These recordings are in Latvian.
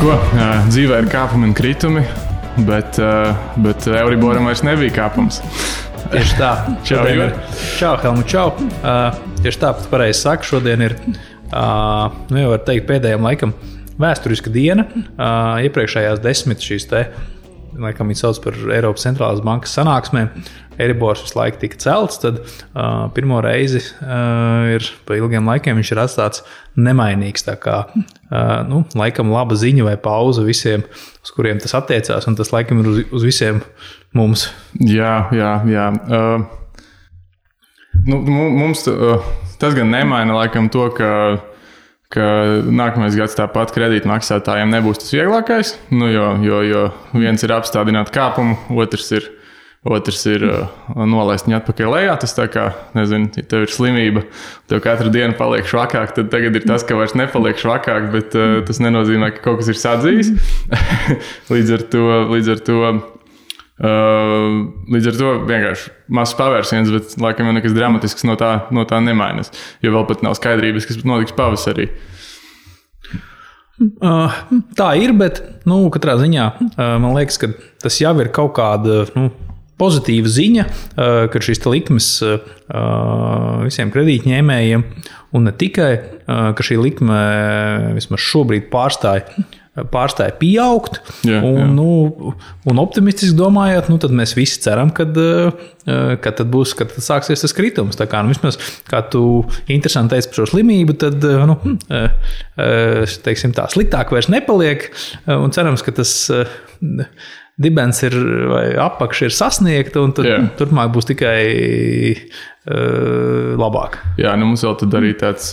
ko, dzīvē ir kāpumi un kritumi, bet Euriboram vairs nebija kāpums. Tieši tā. Čau, Jur. Čau, Helmut, čau. Tieši tā, pat pareizi saka, šodien ir, jau var teikt, pēdējiem laikam vēsturiska diena. Iepriekšējās 10 šīs te, laikam viņi sauc par Eiropas centrālās bankas sanāksmēm, Eiribors visu laiku tika celts, tad pirmo reizi ir pa ilgiem laikiem viņš ir atstāts nemainīgs. Tā kā, laikam laba ziņa vai pauza visiem, uz kuriem tas attiecās, un tas laikam ir uz visiem mums. Jā. Mums tas gan nemaina laikam to, ka nākamais gads tāpat kredītmaksātājiem nebūs tas vieglākais, jo viens ir apstādināt kāpumu, otrs ir nolaist viņu atpakaļ lejā. Tas tā kā, nezinu, ja tev ir slimība, tev katru dienu paliek švakāk, tad tagad ir tas, ka vairs nepaliek švakāk, bet tas nenozīmē, ka kaut kas ir sadzījis. Līdz ar to vienkārši mazs pavērsiens, bet laikam jau nekas dramatisks no tā nemainas, jo vēl pat nav skaidrības, kas notiks pavasarī. Tā ir, bet katrā ziņā man liekas, ka tas jau ir kaut kāda pozitīva ziņa, ka šīs likmes visiem kredītņēmējiem un ne tikai, ka šī likme vismaz šobrīd pārstāja pieaugt. Un optimistiski domājot, tad mēs visi ceram, kad sāksies tas kritums. Tā kā, vismaz, kā tu interesanti teici par šo slimību, tad, teiksim tā, sliktāk vairs nepaliek, un cerams, ka tas dibens ir, vai apakša ir sasniegta, un tad turpmāk būs tikai labāk. Jā, mums vēl tad arī tāds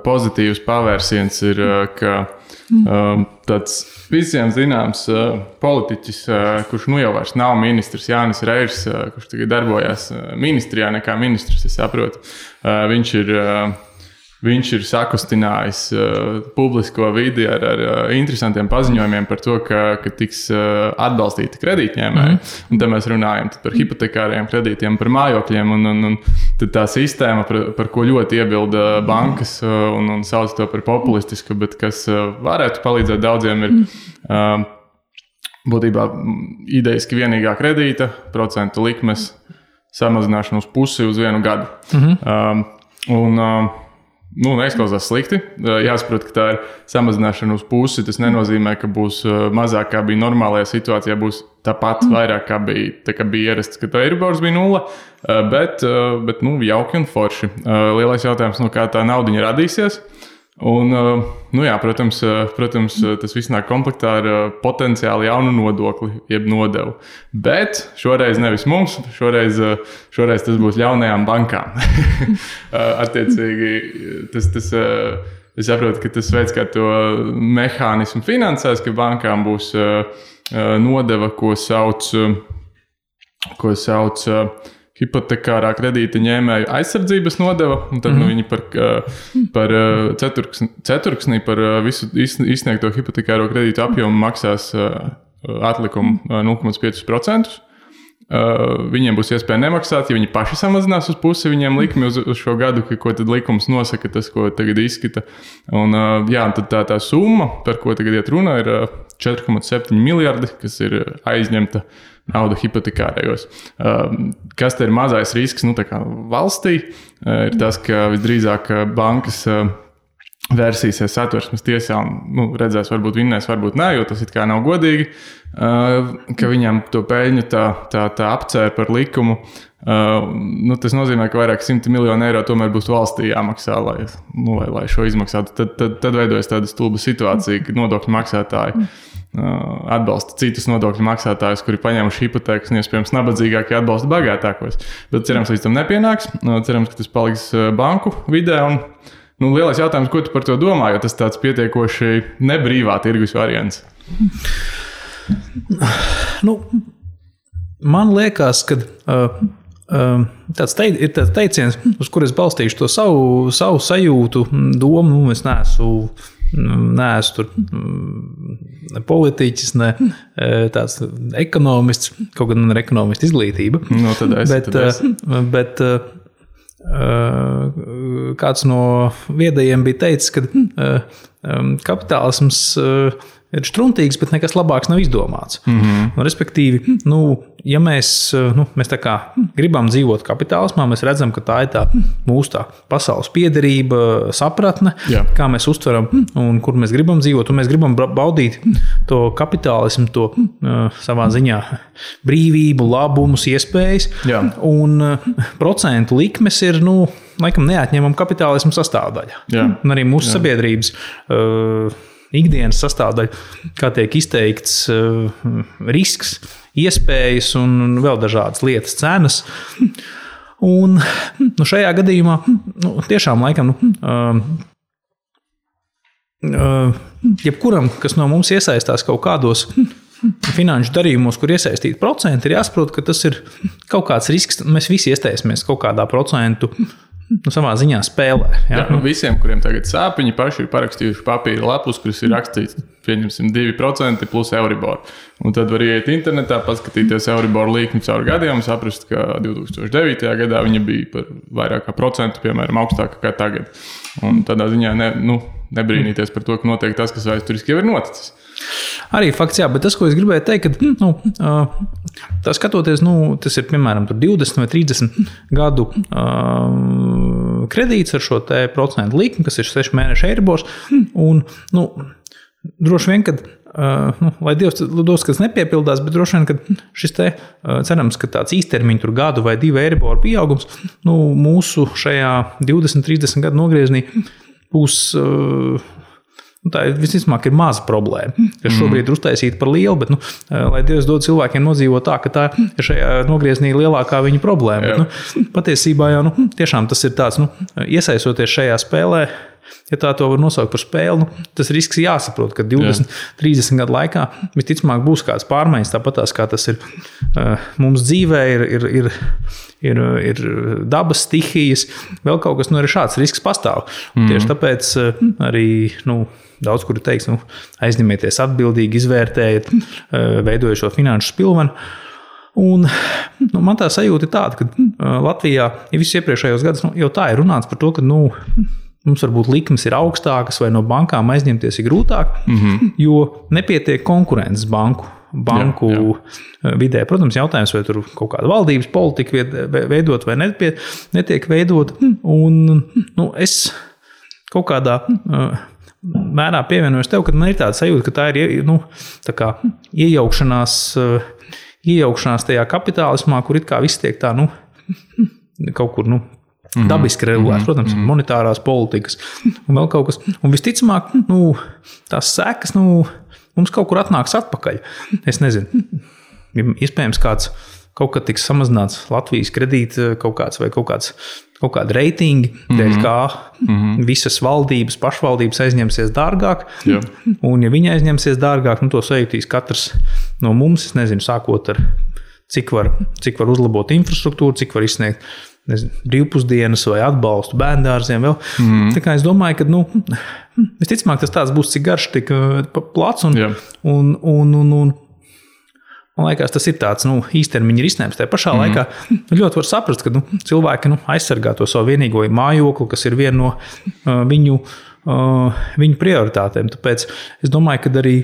pozitīvs pavērsiens ir, ka tāds visiem zināms politiķis, kurš jau vairs nav ministrs, Jānis Reirs, kurš tagad darbojās ministrijā nekā ministrs, es saprotu, viņš ir sakustinājis publisko vidi ar interesantiem paziņojumiem par to, ka tiks atbalstīti kredītņēmēji. Un te mēs runājam par hipotekāriem kredītiem, par mājokļiem, un tad tā sistēma, par ko ļoti iebilda bankas un sauc to par populistisku, bet kas varētu palīdzēt daudziem, ir būtībā idejiski vienīgā kredīta, procentu likmes samazināšana uz pusi uz 1 gadu. Neizklausās slikti. Jāsaprot, ka tā ir samazināšana uz pusi. Tas nenozīmē, ka būs mazāk, kā bija normālajā situācijā, būs tāpat vairāk, kā bija ierasts, ka tā Eiribors bija 0, bet jauki un forši. Lielais jautājums, kā tā naudiņa radīsies. Un, protams, tas viss nāk komplektā ar potenciāli jaunu nodokli, jeb nodevu. Bet šoreiz nevis mums, šoreiz tas būs jaunajām bankām. Attiecīgi, es saprotu, ka tas veids, kā to mehānismu finansēs, ka bankām būs nodeva, ko sauc hipotekārā kredīta ņēmēju aizsardzības nodeva, un tad viņi par ceturksni par visu izsniegto hipotekāro kredītu apjomu maksās atlikumu 0,5%. Viņiem būs iespēja nemaksāt, ja viņi paši samazinās uz pusi viņiem likmi uz šo gadu, ko tad likums nosaka, tas, ko tagad izskata. Un tad tā summa, par ko tagad iet runa, ir 4,7 miljardi, kas ir aizņemta nauda hipotekārējos. Kas te ir mazais risks valstī, ir tas, ka visdrīzāk bankas vērsīsies Satversmes tiesā un redzēs, varbūt vinnēs, varbūt nē, jo tas it kā nav godīgi, ka viņam to peļņu tā apcēra par likumu. Tas nozīmē, ka vairāk 100 miljonu eiro tomēr būs valstī jāmaksā, lai šo izmaksātu. Tad veidojas tāda stulba situācija, ka nodokļu maksātāji atbalsta citus nodokļu maksātājus, kuri paņēmuši hipotēkas, un iespējams nabadzīgākie atbalsta bagātākos. Bet cerams, līdz tam nepienāks. Cerams, ka tas paliks banku vidē. Un lielais jautājums, ko tu par to domā, jo tas tāds pietiekoši nebrīvā tirgus variants? Man liekas, ka tāds teiciens, uz kur es balstīšu to savu sajūtu, domu, es neesmu tur ne politiķis, ne tāds ekonomists, kaut gan man ir ekonomista izglītība. Bet kāds no viedajiem bija teicis, ka kapitālisms ir štruntīgs, bet nekas labāks nav izdomāts. Respektīvi, ja mēs tā kā gribam dzīvot kapitālismā, mēs redzam, ka tā ir tā mūsu tā pasaules piederība, sapratne, kā mēs uztveram un kur mēs gribam dzīvot, un mēs gribam baudīt to kapitālismu, to savā ziņā brīvību, labumus, iespējas, un procentu likmes ir, laikam neatņemama kapitālismu sastāvdaļa. Un arī mūsu sabiedrības ikdienas sastāvdaļa, kā tiek izteikts risks, iespējas un vēl dažādas lietas, cenas. Un šajā gadījumā tiešām laikam jebkuram, kas no mums iesaistās kaut kādos finanšu darījumos, kur iesaistīti procenti, ir jāsaprot, ka tas ir kaut kāds risks. Mēs visi iestaisamies kaut kādā procentu savā ziņā spēlē. Visiem, kuriem tagad sāpiņi, paši ir parakstījuši papīra lapus, kuras ir rakstīts, pieņemsim 2% plus Euribor. Un tad var iet internetā, paskatīties Euribor līkni caur gadiem, saprast, ka 2009. Gadā viņa bija par vairāk kā procentu, piemēram, augstāka kā tagad. Un tādā ziņā nebrīnīties par to, ka notiek tas, kas vēsturiski jau ir noticis. Arī fakts, bet tas, ko es gribēju teikt, ka tā skatoties, tas ir piemēram 20 vai 30 gadu kredīts ar šo te procentu likmi, kas ir 6 mēnešu Eiribors, un droši vien, kad lai Dievs dos, kas nepiepildās, bet droši vien, ka šis te cerams, ka tāds īstermiņa tur gadu vai 2 Eiriboru pieaugums, mūsu šajā 20-30 gadu nogrieznī būs tā visticamāk ir maza problēma, kas šobrīd ir uztaisīta par lielu, bet, lai Dievs dod cilvēkiem nodzīvot tā, ka tā ir šajā nogrieznī lielākā viņa problēma. Bet, patiesībā jau, tiešām tas ir tāds, iesaistoties šajā spēlē, ja tā to var nosaukt par spēli, tas risks jāsaprot, ka 20-30 gadu laikā visticamāk būs kāds pārmaiņas, tāpatās kā tas ir mums dzīvē, ir dabas stihijas, vēl kaut kas, arī šāds risks pastāv. Tieši tāpēc arī, daudz, kuri teiks, aizņemieties atbildīgi, izvērtējiet, veidojot šo finanšu spilvenu. Un man tā sajūta ir tāda, ka Latvijā, ja visus iepriekšējos gadus, jau tā ir runāts par to, ka, mums varbūt likmes ir augstākas vai no bankām aizņemties ir grūtāk, jo nepietiek konkurences banku vidē. Protams, jautājums, vai tur kaut kāda valdības politika veidot vai netiek veidot. Un es kaut kādā mērā pievienojos tev, ka man ir tāda sajūta, ka tā ir tā kā iejaukšanās tajā kapitālismā, kur it kā viss tiek tā, kaut kur, dabiski regulēts, protams, monetārās politikas un vēl kaut kas. Un visticamāk, tās sekas, mums kaut kur atnāks atpakaļ. Es nezinu, iespējams kaut kad tiks samazināts Latvijas kredīta kaut kāda reitingi, dēļ kā visas valdības, pašvaldības aizņemsies dārgāk. Un ja viņi aizņemsies dārgāk, to sajūtīs katrs no mums, es nezinu, sākot ar cik var uzlabot infrastruktūru, cik var izsniegt brīvpusdienas vai atbalstu bērndārziem vēl. Tā kā es domāju, ka, visticamāk, tas tāds būs cik garš, tik plats un man liekas, tas ir tāds, īstermiņa risinājums. Tā pašā laikā ļoti var saprast, ka, cilvēki, aizsargā to savu vienīgo mājokli, kas ir viena no viņu prioritātēm. Tāpēc es domāju, ka arī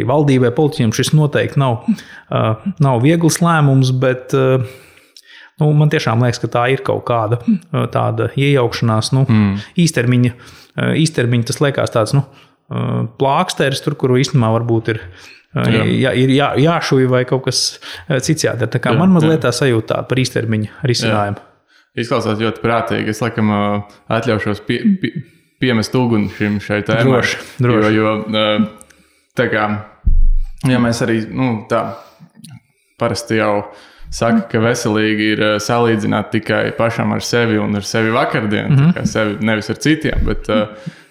valdībai, politiķiem šis noteikti nav viegls lēmums, bet man tiešām liekas, ka tā ir kaut kāda tāda iejaukšanās, īstermiņa tas liekas tāds, plāksteris tur, kuru īstenībā varbūt ir jāšuj vai kaut kas cits jādara. Tā kā man mazliet tā sajūta tāda par īstermiņa risinājumu. Izklausās ļoti prātīgi. Es laikam atļaušos piemest uguni šai tēmai. Droši. Jo tā kā, ja mēs arī, tā parasti jau saka, ka veselīgi ir salīdzināt tikai pašam ar sevi un ar sevi vakardienu, kā sevi nevis ar citiem, bet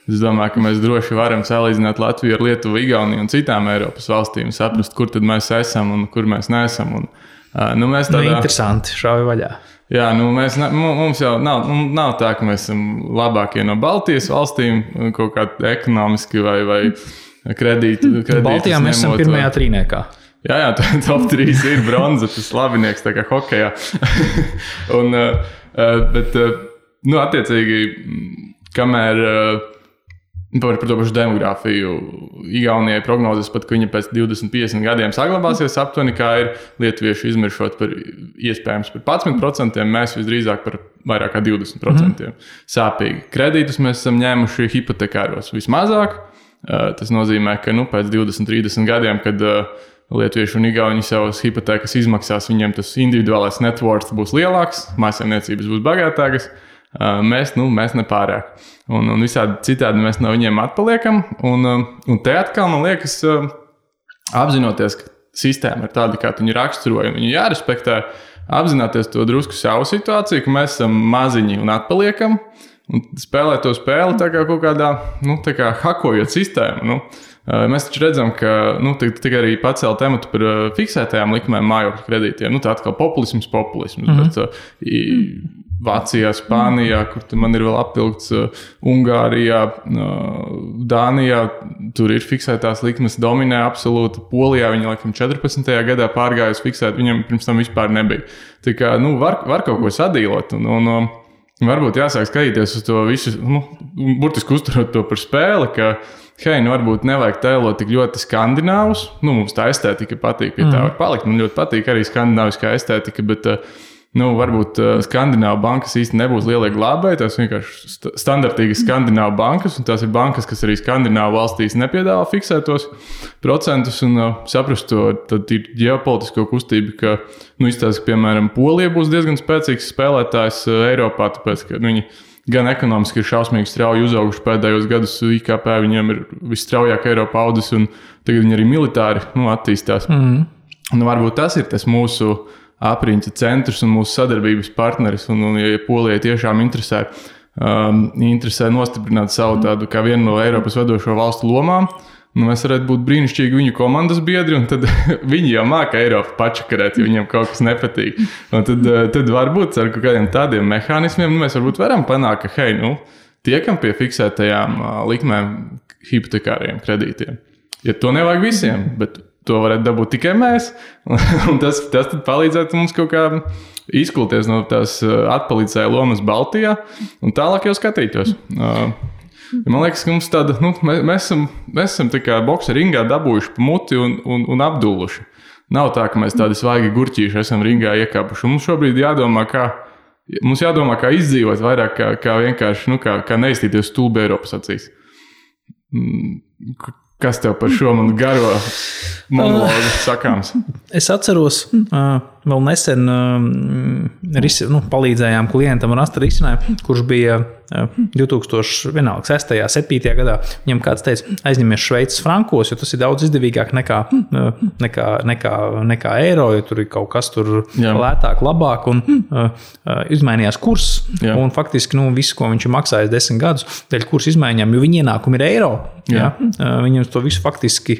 es domāju, ka mēs droši varam salīdzināt Latviju ar Lietuvu, Igauniju un citām Eiropas valstīm, saprast, kur tad mēs esam un kur mēs neesam. Un, mēs tādā... interesanti, šauj vaļā. Jā, mums jau nav tā, ka mēs esam labākie no Baltijas valstīm, kaut kā ekonomiski vai kredīti. Baltijā mēs esam pirmajā trīniekā. Jā, top 3 ir bronza, tas labinieks, tā kā hokejā. Bet, attiecīgi, kamēr Par to pašu demogrāfiju. Igaunijai prognozes pat, ka viņa pēc 20-50 gadiem saglabāsies aptuveni, kā ir lietuvieši izmiršot par iespējams par 11%, mēs visdrīzāk par vairāk kā 20%. Sāpīgi. Kredītus mēs esam ņēmuši hipotekāros vismazāk. Tas nozīmē, ka pēc 20-30 gadiem, kad lietuvieši un igauni savas hipotekas izmaksās, viņiem tas individuālais net worth būs lielāks, mājsaimniecības būs bagātākas. Mēs nepārāk. Un visādi citādi mēs no viņiem atpaliekam. Un te atkal, man liekas, apzinoties, ka sistēma ir tāda, kā viņu raksturoja, un viņu jārespektē, apzināties to drusku savu situāciju, ka mēs esam maziņi un atpaliekam, un spēlēt to spēli tā kā kaut kādā, tā kā hakojot sistēmu. Mēs taču redzam, ka tikai arī pacēla tematu par fiksētajām likmēm mājokļu kredītiem. Tā atkal populisms. Bet Vācijā, Spānijā, kur man ir vēl apvilkts, Ungārijā, Dānijā, tur ir fiksētās likmes, dominē absolūti. Polijā viņa laikam 14. gadā pārgājusi fiksēt, viņam pirms tam vispār nebija. Tā kā, var kaut ko sadīlot un varbūt jāsāk skatīties uz to visu, burtiski uzturot to par spēli, ka varbūt nevajag tēlot tik ļoti skandināvus. Mums tā estētika patīk, pie tā var palikt. Man ļoti patīk arī skandināviskā estētika, bet varbūt Skandināvu bankas īsti nebūs lielie glābēji. Tās vienkārši standartīgas Skandināvu bankas, un tās ir bankas, kas arī Skandināvu valstīs nepiedāvā fiksētos procentus, un saprast to, tad ir ģeopolitisko kustību, ka, izstāsta, ka, piemēram, Polija būs diezgan spēcīgs spēlētājs Eiropā, tāpēc, ka viņi gan ekonomiski ir šausmīgi strauji uzauguši pēdējos gadus, IKP viņiem ir visstraujāk Eiropā audzis, un tagad viņi arī militāri attīstās. Varbūt tas ir tas mūsu apriņķa centrs un mūsu sadarbības partneris, un ja Polijai tiešām interesē nostiprināt savu tādu kā vienu no Eiropas vadošo valstu lomām, mēs varētu būt brīnišķīgi viņu komandas biedri, un tad viņi jau māka Eiropu pačakarēt, ja viņiem kaut kas nepatīk. Un tad varbūt ar kaut kādiem tādiem mehānismiem mēs varbūt varam panākt, ka tiekam pie fiksētajām likmēm hipotekāriem kredītiem. Ja to nevajag visiem, bet to varētu dabūt tikai mēs, un tas tad palīdzētu mums kaut kā izkulties no tās atpalicēja lomas Baltijā, un tālāk jau skatītos. Man liekas, ka mums tāda, mēs esam tā kā boksa ringā dabūjuši pa muti un apdulluši. Nav tā, ka mēs tādi svaigi gurķīši esam ringā iekāpuši. Mums šobrīd jādomā, kā izdzīvot vairāk, kā vienkārši, kā neiztīties stulbi Eiropas acīs. Kas tev par šo manu garo monologu sakāms? Es atceros, vēl nesen palīdzējām klientam rast risinājumu, kurš bija 2006. 7. gadā. Viņam kāds teica, aizņemies Šveices frankos, jo tas ir daudz izdevīgāk nekā eiro, jo tur ir kaut kas tur lētāk, labāk, un izmainījās kurs. Jā. Un faktiski visu, ko viņš ir maksājis 10 gadus, dēļ kursa izmaiņām, jo viņa ienākumi ir eiro. Jā. Viņam to visu faktiski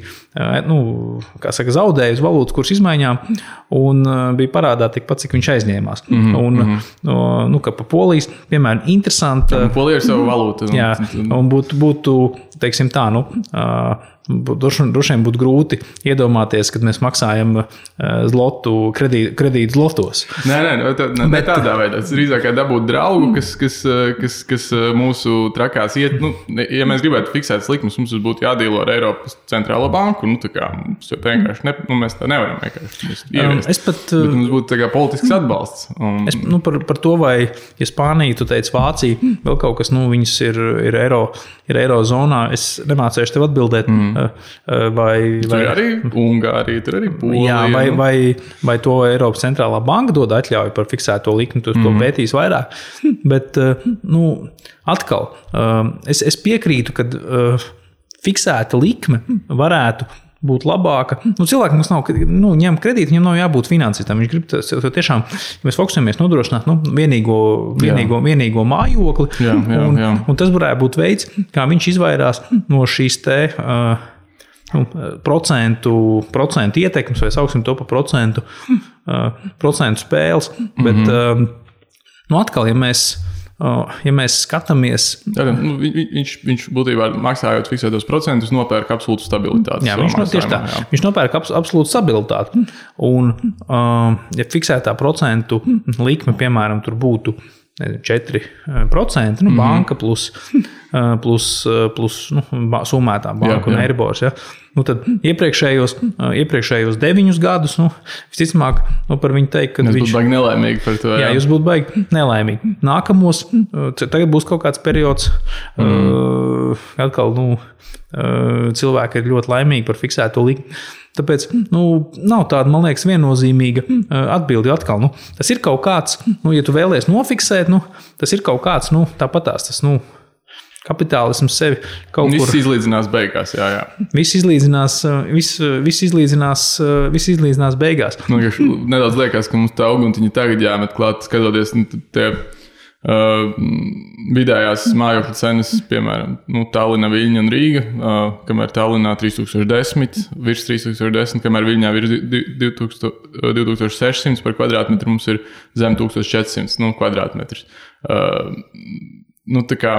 zaudēja uz valūtas kursa izmaiņām, un bija parādā tikpat, cik viņš aizņēmās. Ka pa Polijas, piemēram, interesanti. Polija ir savu valūtu. Jā, un būtu teiksim tā, droši vien būtu grūti iedomāties, kad mēs maksājam zlotu kredītu zlotos. Nē, tādā veidā. Tas drīzāk kā dabūt draugu, kas mūsu trakās iet. Ja mēs gribētu fiksēt likmes, mums būtu jādīlo ar Eiropas centrālo banku. Mums vienkārši mēs tā nevaram vienkārši ieviest. Bet mums būtu tā kā politisks atbalsts. Par to, vai ja Spānija, tu teici Vācija, vēl kaut kas, viņas ir eiro zonā, es nemācēšu tev atbildēt. Tur arī Ungārija, tur arī Polija. Jā, vai to Eiropas centrālā banka dod atļauju par fiksēto likmi, to pētīs vairāk. Bet, atkal, es piekrītu, ka fiksēta likme varētu būt labāka. Cilvēkam, kas nav ņem kredītu, viņam nav jābūt finansistam. Viņš grib tiešām, ja mēs fokusējamies nodrošināt vienīgo mājokli, un tas varētu būt veids, kā viņš izvairās no šīs procentu ietekmes, vai sauksim to par procentu spēles. Bet, atkal, ja mēs skatāmies... Viņš būtībā maksājot fiksētos procentus, nopērk absolūtu stabilitāti. Jā, viņš nopērk absolūtu stabilitāti. Un, ja fiksētā procentu likme, piemēram, tur būtu 4%, banka plus summētā banka un Eiribors. Ja? Tad iepriekšējos 9 gadus, visticamāk, par viņu teikt, ka viņš būtu baigi nelaimīgi par to. Jā, jūs būtu baigi nelaimīgi. Nākamos, tagad būs kaut kāds periods, atkal, cilvēki ir ļoti laimīgi par fiksēto likmi. Tāpēc nav tāda, man liekas, viennozīmīga atbildi atkal. Tas ir kaut kāds, ja tu vēlies nofiksēt, tas ir kaut kāds, tāpatās tas, kapitālisms sevi kaut kur. Viss izlīdzinās beigās, jā. Viss izlīdzinās beigās. Nedaudz liekas, ka mums tā uguntiņa tagad jāmet klāt, skatoties tie vidējās mājokļu cenas, piemēram, Tallinna, Viļņa un Rīga, kamēr Tallinnā 3010, virs 3010, kamēr Viļņā virs 2600 par kvadrātmetru, mums ir zem 1400 kvadrātmetrs. Tā kā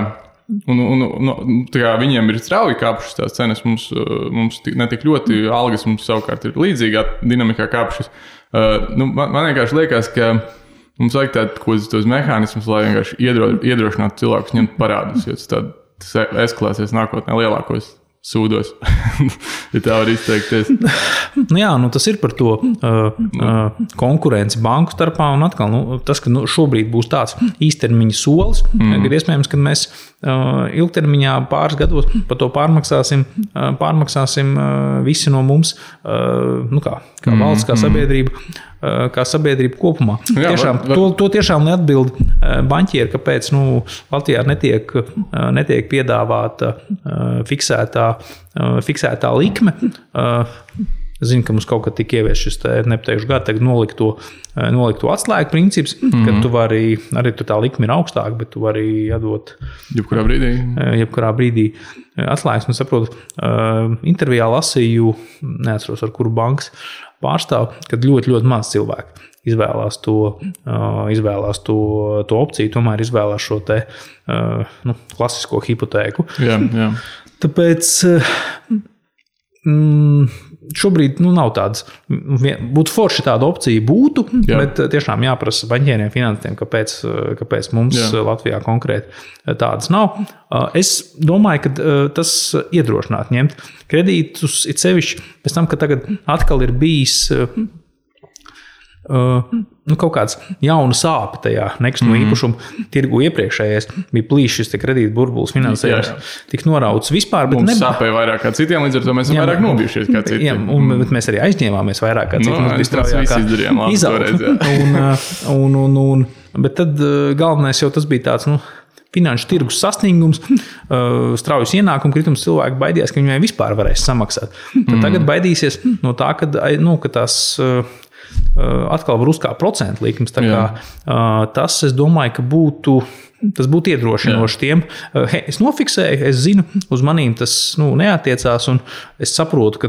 viņiem ir strauji kāpušas tās cenas, mums netik ļoti algas, mums savukārt ir līdzīgā dinamikā kāpušas. Man vienkārši liekas, ka mums vajag tos mehānismus, lai vienkārši iedrošinātu cilvēkus ņemt parādus, jo tas eskalēsies nākotnē lielākos sūdos, ja tā var izteikties. Tas ir par to konkurenci banku starpā, un atkal, tas, ka šobrīd būs tāds īstermiņa solis, kad iespējams, ka mēs ilgtermiņā pāris gados par to pārmaksāsim visi no mums, kā valsts, kā sabiedrība kopumā. To tiešām neatbild baņķieri, kāpēc Latvijā netiek piedāvāta fiksētā likme. Zinu, ka mums kaut kad tika ievies šis nepateikšu gadu, tagad nolikto atslēgu princips, kad tu vari, arī tu tā likme ir augstāka, bet tu vari atdot jebkurā brīdī atslēgas. Un saprotu, intervijā lasīju, neatceros ar kuru bankas pārstāv, kad ļoti, ļoti maz cilvēku izvēlās to opciju, tomēr izvēlās šo klasisko hipotēku. Jā. Tāpēc šobrīd nav tādas, būtu forši tāda opcija būtu, bet tiešām jāprasa baņķieriem, finansistiem, kāpēc mums Latvijā konkrēti tādas nav. Es domāju, ka tas iedrošināt ņemt kredītus, it sevišķi pēc tam, ka tagad atkal ir bijis kaut kāds jauna sāpe tajā nekustamo īpašumu tirgu. Iepriekšējais bija plīšs šis kredīta burbulis finansējums, tik norauts vispār. Mums sāpēja vairāk kā citiem, līdz ar to mēs vairāk nobijušies kā citiem. Bet mēs arī aizņēmāmies vairāk kā citiem. Mēs visi izdarījām labi toreiz. Bet tad galvenais jau tas bija tāds, finanšu tirgus sasniegums, straujas ienākumu kritums, cilvēki baidījās, ka viņai vispār varēs samaksāt. Tad tagad baidīsies no tā, ka tās atkal var uzkāpt procentu likmes. Tas, es domāju, ka tas būtu iedrošinoši tiem. Es nofiksēju, es zinu, uz manīm tas neatiecās, un es saprotu, ka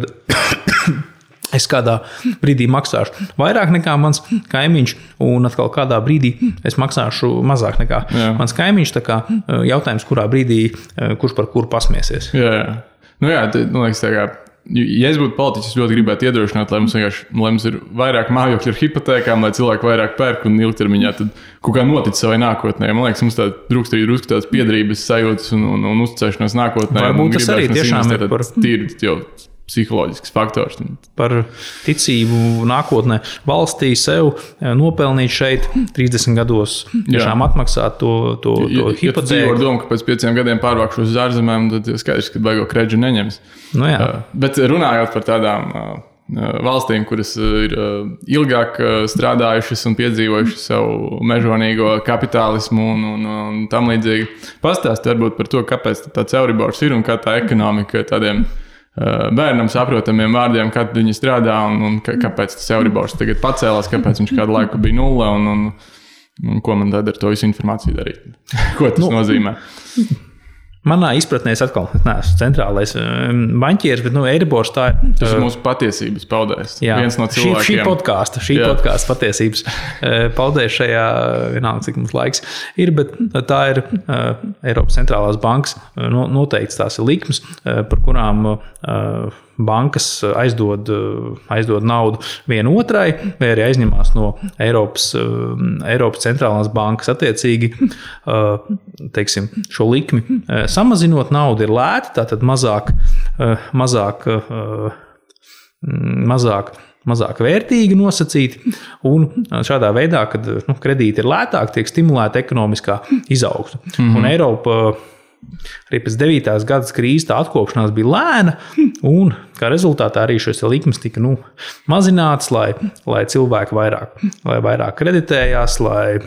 es kādā brīdī maksāšu vairāk nekā mans kaimiņš, un atkal kādā brīdī es maksāšu mazāk nekā mans kaimiņš. Tā kā jautājums, kurā brīdī kurš par kuru pasmiesies. Jā. Liekas, tā kā ja es būtu politiķis, ļoti gribētu iedrošināt, lai mums ir vairāk mājokļu ar hipotēkām, lai cilvēki vairāk pērk un ilgtermiņā tad kaut kā notic savai nākotnē. Man liekas, mums drusku tādas piedrības sajūtas un uzticēšanās nākotnē. Varbūt tas arī tiešām ir par tīri jau psiholoģisks faktors. Par ticību nākotnē valstī sev nopelnīt šeit 30 gados tiešām atmaksāt to hipotēku. Ja tu dzīvo ar domu, ka pēc 5 gadiem pārvākšos uz ārzemēm, tad skaidrs, ka baigo kredžu neņems. Bet runājot par tādām valstīm, kuras ir ilgāk strādājušas un piedzīvojušas savu mežonīgo kapitālismu un tam līdzīgi, pastāst varbūt par to, kāpēc tāds Euribors ir un kā tā ekonomika tādiem bērnam saprotamiem vārdiem, kad viņi strādā un kāpēc tas Euribors tagad pacēlās, kāpēc viņš kādu laiku bija nulle un ko man tad ar to visu informāciju darīt. Ko tas nozīmē? Manā izpratnē es atkal neesmu centrālais baņķieris, bet Eiribors tā ir. Tas ir mūsu patiesības paudējs. Viens no cilvēkiem. Šī podkāsta patiesības paudējs šajā, vienalga, cik mums laiks ir, bet tā ir Eiropas centrālās bankas noteikts tās ir likmes, par kurām bankas aizdod naudu vienotrai, vai arī aizņemās no Eiropas centrālās bankas attiecīgi, teiksim, šo likmi samazinot, nauda ir lēta, tātad mazāk vērtīgi nosacīti, un šādā veidā, kad kredīti ir lētāki, tiek stimulēta ekonomiskā izaugsme. Un Eiropa arī pēc 9. gadas krīzes tā atkopšanās bija lēna, un kā rezultātā arī šīs likmes tika mazinātas, lai cilvēki vairāk kreditējās, lai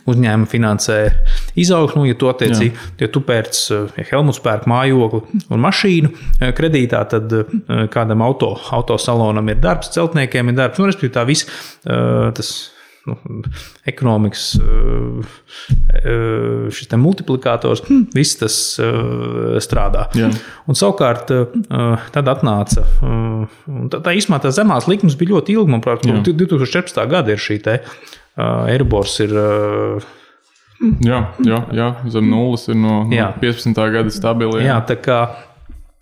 uzņēmumi finansē izaugsmu, ja tu pērc, ja Helmuts pērk mājokli un mašīnu kredītā, tad kādam autosalonam ir darbs, celtniekiem ir darbs, respektīvi tā viss tas ekonomikas šis te multiplikators, viss tas strādā. Jā. Un savukārt tad atnāca, tā īsumā tā zemās likmes bija ļoti ilgi, manuprāt, 2014. gada ir šī te Eiribors ir... Jā, zem nulles ir no 15. gada stabili. Jā, tā kā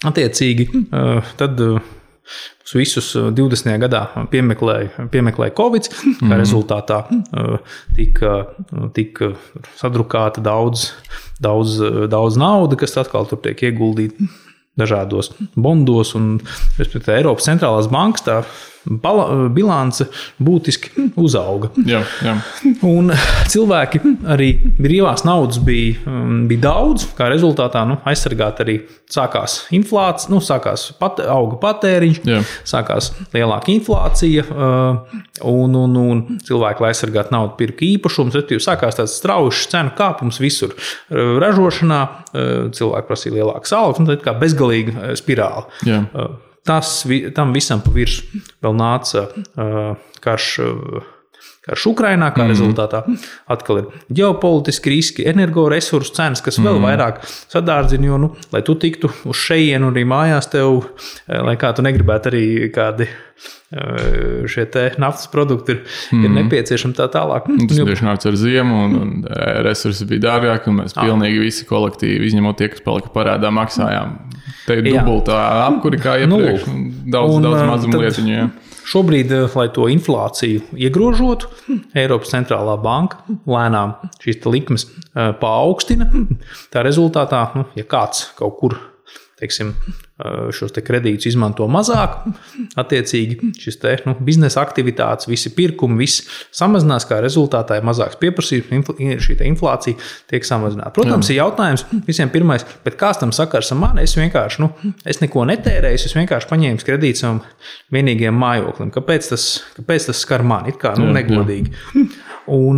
attiecīgi tad visus 20. gadā piemeklēja Covid, kā rezultātā tika sadrukāta daudz nauda, kas atkal tur tiek ieguldīta dažādos bondos, un Eiropas centrālās bankas tā bilance būtiski uzauga. Jā. Un cilvēki arī brīvās naudas bija daudz, kā rezultātā aizsargāt arī sākās inflācija, auga patēriņš, sākās lielāka inflācija, un cilvēki, lai aizsargātu naudu, pirka īpašumus, respektīvi sākās tāds strauji cenu kāpums visur ražošanā, cilvēki prasīja lielākas algas, un tā kā bezgalīga spirāli. Jā. Tam visam pa virsmu vēl nāca karš Ukrainā, kā rezultātā atkal ir ģeopolitiski riski, energoresursu cenas, kas vēl vairāk sadārdzina, jo, lai tu tiktu uz šejienu arī mājās tev, lai kā tu negribētu arī kādi šie te naftas produkti ir nepieciešami tā tālāk. Tas tieši nāca ar ziemu, un resursi bija dārgāki, un mēs pilnīgi visi kolektīvi, izņemot tie, kas palika parādā, maksājām. Te ir dubultā apkuri kā iepriekš, daudz mazumu lietiņu. Jā. Šobrīd, lai to inflāciju iegrožotu, Eiropas centrālā banka lēnām šīs likmes paaugstina. Tā rezultātā, ja kāds kaut kur, teiksim, šos te kredītus izmanto mazāk, attiecīgi šis te biznesa aktivitātes, visi pirkumi, viss samazinās, kā rezultātā ir mazāks pieprasījums, šī te inflācija tiek samazināta. Protams, ir jautājums visiem pirmais, bet kāds tam sakars ar mani? Es vienkārši, es neko netērēju, es vienkārši paņēmu kredītu savam vienīgajam mājoklim. Kāpēc tas skar mani? It kā, negodīgi. Un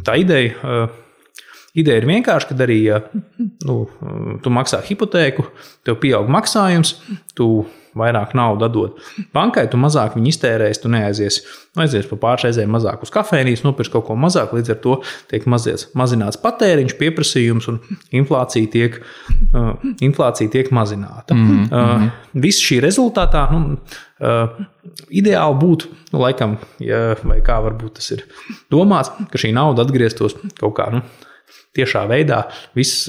tā ideja ir vienkārši, kad arī, ja tu maksā hipotēku, tev pieaug maksājums, tu vairāk naudu atdod bankai, tu mazāk viņu iztērēsi, tu aizies pa pāršreizēm mazāk uz kafēnijas, nopirks kaut ko mazāk, līdz ar to tiek mazināts patēriņš, pieprasījums un inflācija tiek mazināta. Viss šī rezultātā, ideāli būtu, laikam, vai kā varbūt tas ir domāts, ka šī nauda atgrieztos kaut kā, tiešā veidā viss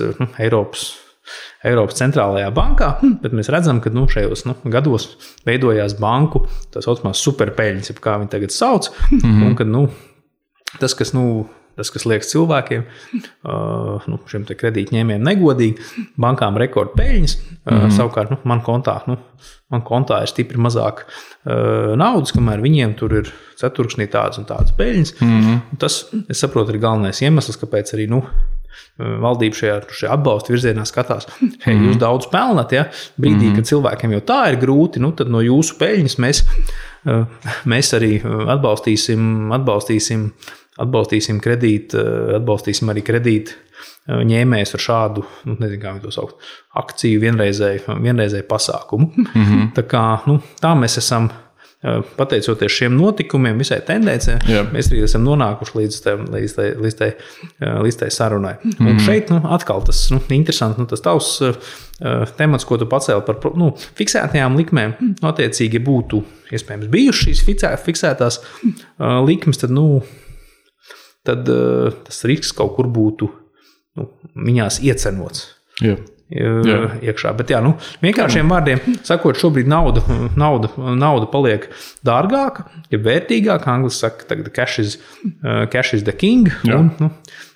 Eiropas centrālajā bankā, bet mēs redzam, ka šajos gados veidojās banku tā saucamās superpeļņas, kā viņi tagad sauc, un kad tas, kas liekas cilvēkiem, šiem te kredītņēmējiem negodīgi, bankām rekordpeļņas, savukārt man kontā ir stipri mazāk naudas, kamēr viņiem tur ir ceturksnī tādas un tādas peļņas. Tas, es saprotu, ir galvenais iemesls, kāpēc arī valdība šajā atbalsta virzienā skatās. Jūs daudz pelnat, ja? Brīdī, kad cilvēkiem jau tā ir grūti, tad no jūsu peļņas mēs arī atbalstīsim arī kredīt ņēmējs ar šādu, nezinu, kā viņi to saukt, akciju vienreizēju pasākumu. Tā kā, tā mēs esam, pateicoties šiem notikumiem, visai tendencē, mēs arī esam nonākuši līdz tai sarunai. Un šeit, atkal tas, interesanti, tas tavs temats, ko tu pacēli par, fiksētajām likmēm, attiecīgi būtu, iespējams, bijušas šīs fiksētās likmes, tad tas risks kaut kur būtu, viņās iecenots. iekšā. Bet vienkāršiem vārdiem sakot, šobrīd nauda paliek dārgāka, ja vērtīgāka. Anglis saka, tagad cash is the king. Un,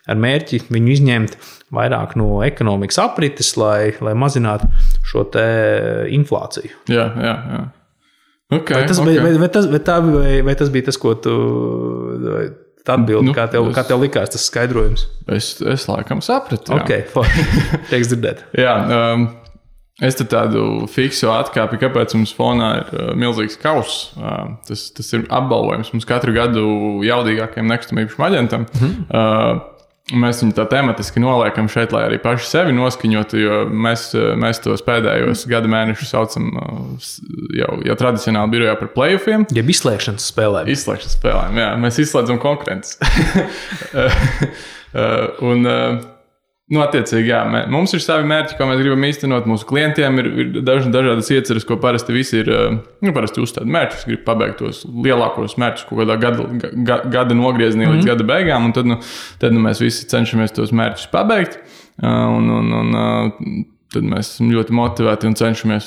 ar mērķi viņu izņemt vairāk no ekonomikas aprites, lai mazinātu šo te inflāciju. Jā. Okay, vai tas bija tas, ko tu atbildi, kā tev likās tas skaidrojums? Es laikam sapratu. Tieks dzirdēt. Jā, es te tādu fiksu atkāpi, kāpēc mums fonā ir milzīgs kauss. Tas ir apbalvojums mums katru gadu jaudīgākajam nekustamīpašumu aģentam. Mēs viņu tā tematiski noliekam šeit, lai arī paši sevi noskaņotu, jo mēs tos pēdējos gada mēnešus saucam jau tradicionāli birojā par play-offiem. Jeb izslēgšanas spēlēm. Jā. Mēs izslēdzam konkurences. Attiecīgi, mums ir savi mērķi, ko mēs gribam īstenot. Mūsu klientiem ir dažādas ieceres, ko parasti visi ir parasti uzstāda mērķus. Grib pabeigt tos lielākos mērķus kaut kādā gada nogriezienī līdz gada beigām, un tad mēs visi cenšamies tos mērķus pabeigt. Tad mēs esam ļoti motivēti un cenšamies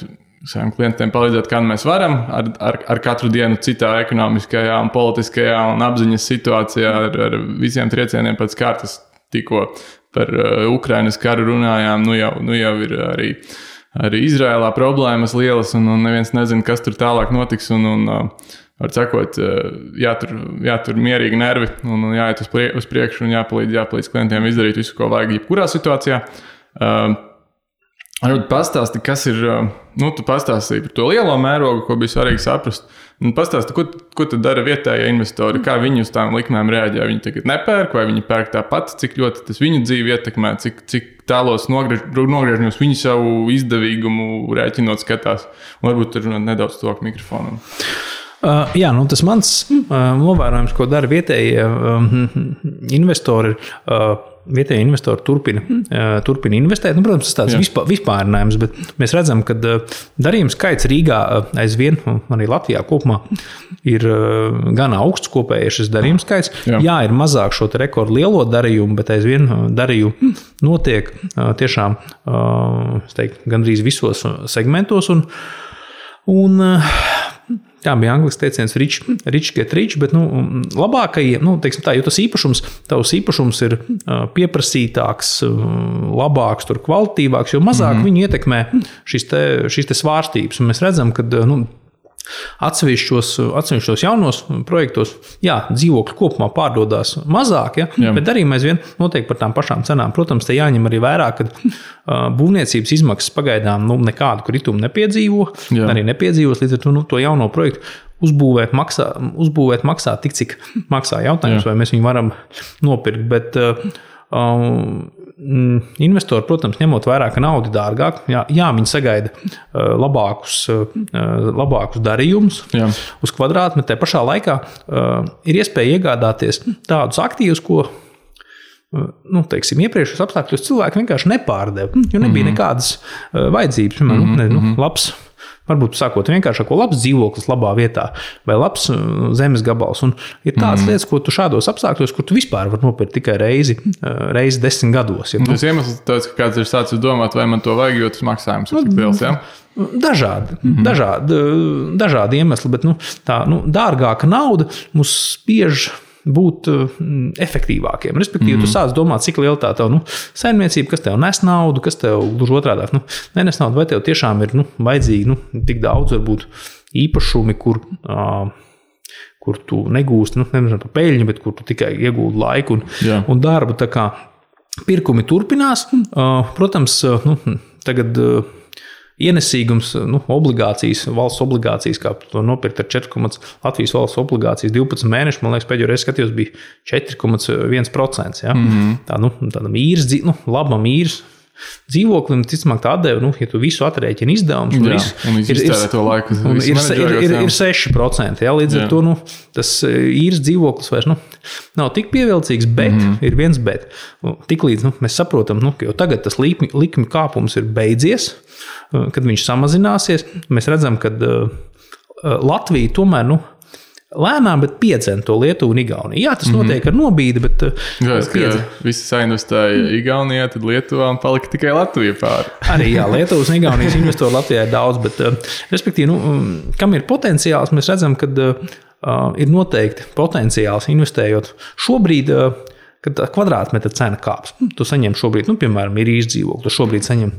saviem klientiem palīdzēt, kā mēs varam, ar katru dienu citā ekonomiskajā un politiskajā un apziņas situācijā, ar visiem triecieniem pēc kārtas. Tikko par Ukrainas karu runājām, nu jau ir arī Izrēlā problēmas lielas, un neviens nezina, kas tur tālāk notiks, un var sakot, jātur mierīgi nervi, un jāiet uz priekšu, un jāpalīdz klientiem izdarīt visu, ko vajag jebkurā situācijā. Pastāsti, kas ir, tu pastāstīji par to lielo mērogu, ko bija svarīgi saprast. Pastāsti, ko tad dara vietējie investori, kā viņi uz tām likmēm reaģē. Viņi tagad nepērk, vai viņi pērk tāpat, cik ļoti tas viņu dzīvi ietekmē, cik tālos nogriežņos viņi savu izdevīgumu rēķinot skatās. Un varbūt tur nedaudz tuvāk mikrofonam. Tas mans novērojums, ko dara vietējie investori, vietējie investori turpina investēt. Protams, tas tāds vispārinājums, bet mēs redzam, ka darījuma skaits Rīgā aizvien, arī Latvijā kopumā, ir gan augsts kopējais šis darījuma skaits. Jā, ir mazāk šo rekordu lielo darījumu, bet aizvien darījumu notiek tiešām, gandrīz visos segmentos. Tā bija angļuiski teiciens rich get rich, bet labākajiem, teiksim tā, jo tavs īpašums ir pieprasītāks, labāks, kvalitatīvāks, jo mazāk viņu ietekmē šīs te svārstības. Un mēs redzam, ka atsevišķos jaunos projektos, dzīvokļi kopumā pārdodās mazāk, bet darījumi aizvien notiek par tām pašām cenām. Protams, te jāņem arī vērā, ka būvniecības izmaksas pagaidām nekādu kritumu nepiedzīvos, līdz ar to jauno projektu uzbūvēt maksā tik, cik maksā. Jautājums, vai mēs viņu varam nopirkt, bet investori, protams, ņemot vērā, ka nauda dārgāk, viņi sagaida labākus darījumus uz kvadrātmetru, bet te pašā laikā ir iespēja iegādāties tādus aktīvus, ko iepriekšējos apstākļos cilvēki vienkārši nepārdeva, jo nebija nekādas vajadzības. Labs, varbūt sākot vienkāršāko, labs dzīvoklis labā vietā vai labs zemes gabals. Un ir tādas lietas, ko tu šādos apstākļos, kur tu vispār var nopirkt tikai reizi 10 gados. Tas iemesls tāds, ka kāds ir sācis domāt, vai man to vajag, jo tas maksājums ir tik liels, Dažādi iemesli, bet tā dārgāka nauda mūs spiež būt efektīvākiem. Respektīvi, tu sāc domāt, cik liela tā tev saimniecība, kas tev nes naudu, kas tev gluži otrādāk nenes naudu, vai tev tiešām ir vajadzīgi tik daudz varbūt īpašumi, kur tu negūsti, nevienu par peļņu, bet kur tu tikai iegūti laiku un darbu. Tā kā pirkumi turpinās. Protams, tagad ienesīgums, obligācijas, valsts obligācijas, kā to nopirkt ar 4, Latvijas valsts obligācijas 12 mēneši, man liekas, pēdējo reizi skatījos, bija 4,1%. Tādam īres, labam īres dzīvoklim, ticamāk tā atdeva, ja tu visu atrēķini izdevumus, ir 6%. Līdz ar to tas īres dzīvoklis vairs nav tik pievilcīgs, bet ir viens bet. Tiklīdz mēs saprotam, ka jau tagad tas likmi kāpums ir beidzies, kad viņš samazināsies, mēs redzam, ka Latvija tomēr lēnām, bet piedzena to Lietuvu un Igauniju. Jā, tas notiek ar nobīdi, bet visi sainvestēja Igaunijā, tad Lietuvā un palika tikai Latvija pāri. Arī jā, Lietuvas un Igaunijas investoru Latvijā ir daudz, bet respektīvi, kam ir potenciāls, mēs redzam, ka ir noteikti potenciāls investējot šobrīd, kad kvadrātmetra cena kāps. Tu saņem šobrīd, piemēram, ir īres dzīvokli, tu šobrīd saņem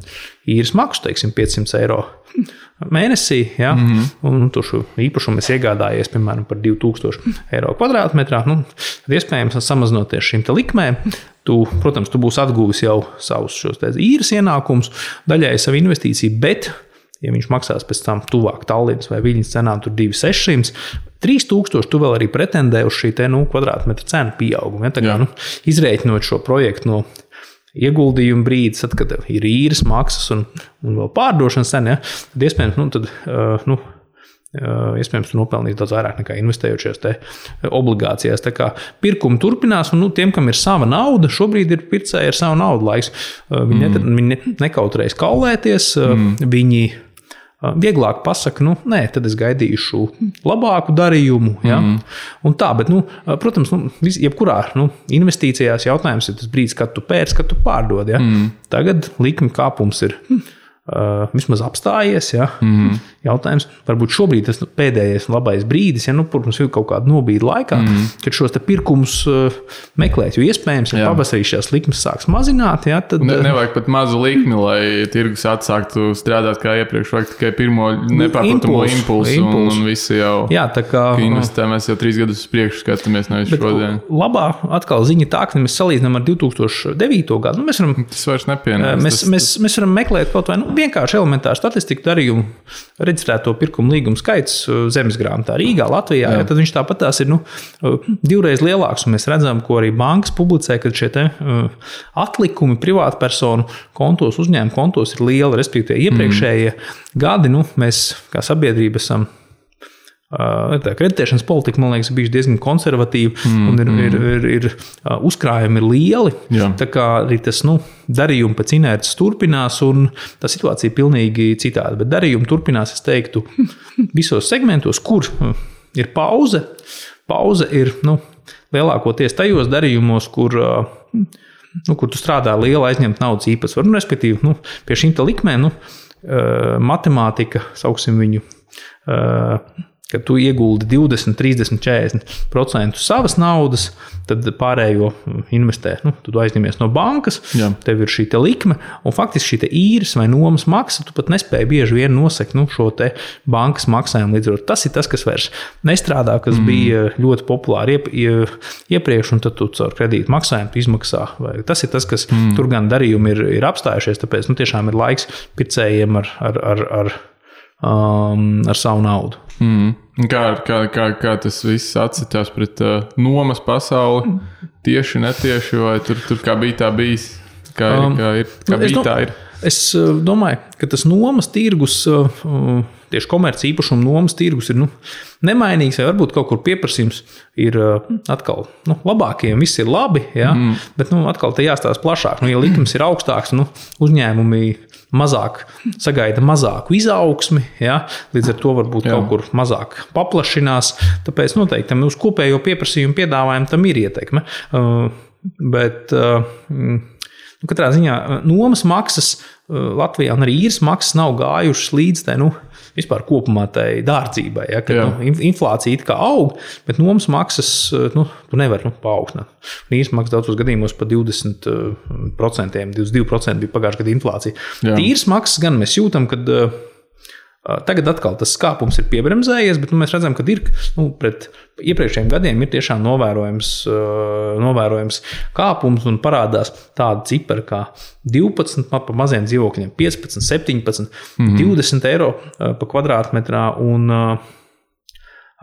īres maksu, teiksim, 500 eiro mēnesī, ja? Un tu šo īpašumu esi iegādājies, piemēram, par 2000 eiro kvadrātmetrā, tad iespējams, samazinoties šīm te likmēm, protams, tu būsi atguvis jau savus šos īres ienākumus, daļai savu investīciju, bet, ja viņš maksās pēc tam tuvāk Tallinas vai Viļņas cenām, tur 2600, 3000, tu vēl arī pretendē uz šī te, kvadrātmetra cenu pieaugumu. Ja? Tā kā, izrēķinot šo projektu no ieguldījuma brīdis, tad, kad ir īres maksas un vēl pārdošanas cena, ja? Tad iespējams, iespējams, tu nopelnīs daudz vairāk nekā investējušies te obligācijās. Tā kā pirkumi turpinās, un tiem, kam ir sava nauda, šobrīd ir pircēji ar savu naudu laiks. Viņi nekautrējas kaulēties, viņi vieglāk pasaka, nē, tad es gaidīšu labāku darījumu. Ja? Un tā, bet, protams, jebkurā investīcijās jautājums ir tas brīdis, kad tu pērci, kad tu pārdod. Ja? Tagad likmi kāpums ir vismaz apstājies. Ja? Jautājums, varbūt šobrīd tas pēdējais labais brīdis, ja protams, ir kaut kāda nobīde laikā, kad šos te pirkumus meklēt, jo iespējams, ja pavasarī šās likmes sāks mazināt, ja, tad... Nevajag pat mazu likmi, lai tirgus atsāktu strādāt kā iepriekš, vajag tikai pirmo nepārprotamo impulsu. Un visi jau, jā, tā kā investē, mēs jau 3 gadus priekš skatāmies nevis šodien. Labā atkal ziņa tā, ka mēs salīdzinām ar 2009. Gadu. Mēs varam, tas vairs nepienāks. Mēs varam meklēt kaut vai vienkārši elementāru statistiku darījumu, reģistrēto pirkumu līgumu skaits zemesgrāmatā Rīgā, Latvijā, ja, tad viņš tāpat tās ir 2 reizes lielāks, un mēs redzam, ko arī bankas publicē, ka šie te atlikumi privātpersonu kontos, uzņēmumu kontos ir lieli, respektīvi iepriekšējie gadi, mēs kā sabiedrība esam tā kreditēšanas politika, man liekas, bijuši diezgan konservatīvi un ir uzkrājumi ir lieli. Jā. Tā kā arī tas darījumi pēc inerces turpinās un tā situācija ir pilnīgi citāda. Bet darījumi turpinās, es teiktu, visos segmentos, kur ir pauze. Pauze ir lielākoties tajos darījumos, kur tu strādā liela aizņemt naudas īpatsvaru. Respektīvi, pie šīm likmēm matemātika, sauksim viņu, kad tu ieguldi 20, 30, 40% savas naudas, tad pārējo investē. Tu aizņemies no bankas, tev ir šī te likme, un faktiski šī te īres vai nomas maksa, tu pat nespēji bieži vien nosekt šo te bankas maksājumu. Līdz ar tas ir tas, kas vairs nestrādā, kas bija ļoti populāri iepriekš, un tad tu caur kredītu maksājumu izmaksā. Vai tas ir tas, kas tur gan darījumi ir apstājušies, tāpēc tiešām ir laiks pircējiem ar savu naudu. Kā tas viss atsitās pret nomas pasauli? Tieši, netieši, vai tur kā bija tā bijis? Kā bija tā ir? Es domāju, ka tas nomas tirgus, tieši komerci īpašumu nomas tirgus ir nemainīgs, vai varbūt kaut kur pieprasījums ir atkal labākiem, viss ir labi, ja? Bet atkal te jāstāsta plašāk. Ja likums ir augstāks, uzņēmumi mazāk sagaida mazāku izaugsmi, ja? Līdz ar to varbūt kaut kur mazāk paplašinās, tāpēc noteikti uz kopējo pieprasījumu piedāvājumu tam ir ietekme. Bet katrā ziņā nomas maksas Latvijā un arī īres maksas nav gājušas līdz tai, vispār kopumā tai dārdzībai, ja, kad inflācija it kā aug, bet nomas maksas tu nevar paaugstināt. Īres maksas daudzos gadījumos pa 20%, 22% bija pagājušajā gada inflācija. Īres maksas gan mēs jūtam, kad tagad atkal tas skāpums ir piebremzējies, bet mēs redzam, ka ir pret iepriekšējiem gadiem ir tiešām novērojams kāpums un parādās tāda cipara kā 12 pa maziem dzīvokļiem, 15, 17, 20 eiro pa kvadrātmetrā un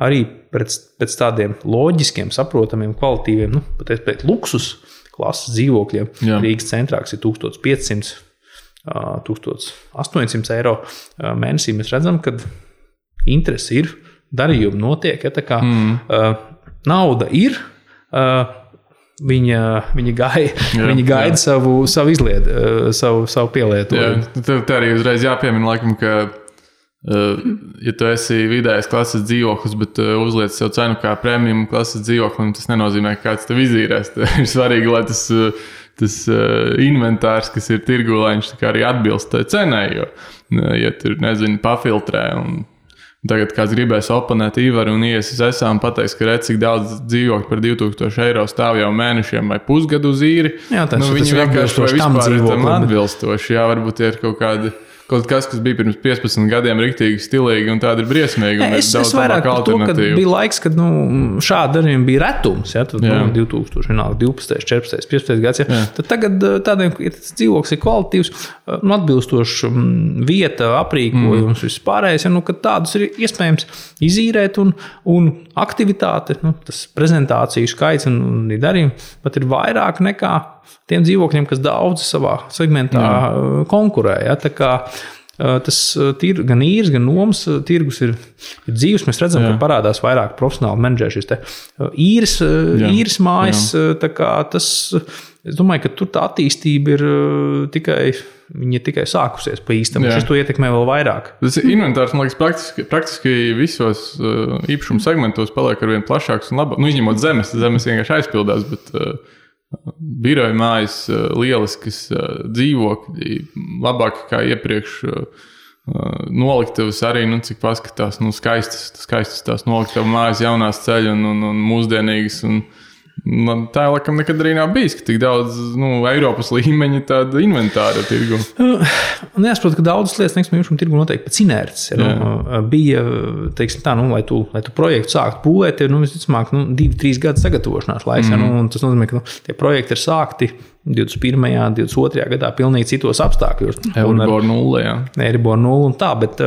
arī pēc tādiem loģiskiem, saprotamiem, kvalitīviem, pat luksus klases dzīvokļiem. Rīgas centrāks ir 1500, 1800 eiro mēnesī. Mēs redzam, ka interesi ir, darījumi notiek, ja tā kā nauda ir, viņa gaida savu izlietu, savu pielietojumu. Tev arī uzreiz jāpiemina, laikam, ka Ja tu esi vidējas klases dzīvoklis, bet uzliec sev cenu kā premium klases dzīvoklim, tas nenozīmē, ka kāds tev izīrēs. Ir svarīgi, lai tas inventārs, kas ir tirgū, lai viņš arī atbilst tai cenai, jo, ja tur, nezinu, pafiltrē un tagad kāds gribēs oponēt Ivaru un iesis esām pateiks, ka redz, cik daudz dzīvokļu par 2000 eiro stāv jau mēnešiem vai pusgadu uz īri. Jā, tas viņi vienkārši vai vispār ir tam dzīvokli. atbilstoši. Jā, varbūt ir kaut kas bija pirms 15 gadiem riktīgi stilīgi un tāda ir briesmīgi. Es vairāk par to, ka bija laiks, kad šādi darījumi bija retums. Ja, tad 2012, 14, 15 gads. Ja. Tad tagad tādiem, ja tas dzīvoklis ir kvalitatīvs, atbilstoši vieta, aprīkojums, vispārējais, ja, kad tādus ir iespējams izīrēt un aktivitāte, tas prezentāciju skaits un darījumi pat ir vairāk nekā tiem dzīvokļiem, kas daudz savā segmentā konkurē. Ja? Tā kā tas gan īres, gan nomas tirgus ir dzīves. Mēs redzam, ka parādās vairāk profesionāli menedžeri šis īres mājas. Tā kā tas, es domāju, ka tur tā attīstība ir tikai sākusies pa īstam. Šis to ietekmē vēl vairāk. Tas inventārs, man liekas, praktiski visos īpašumu segmentos paliek arvien plašāks un labāk. Izņemot zemes vienkārši aizpildās, bet biroja mājas, lieliskas dzīvokļi, labāk kā iepriekš noliktavas arī, cik paskatās, skaistas tās noliktavas mājas, jaunās ceļu un mūsdienīgas. Tā laikam nekad arī nav bijis, ka tik daudz Eiropas līmeņa tāda inventāra tirgu. Jāsaprot, ka daudzas lietas nekustamā tirgu noteikti pēc inerces. Bija, teiksim tā, lai tu projektu sāktu būvēt, visticamāk, 2-3 gadu sagatavošanās laiks. Un tas nozīmē, ka tie projekti ir sākti 21. 22. gadā pilnīgi citos apstākļos. Euribor 0, jā. Euribor 0 un tā, bet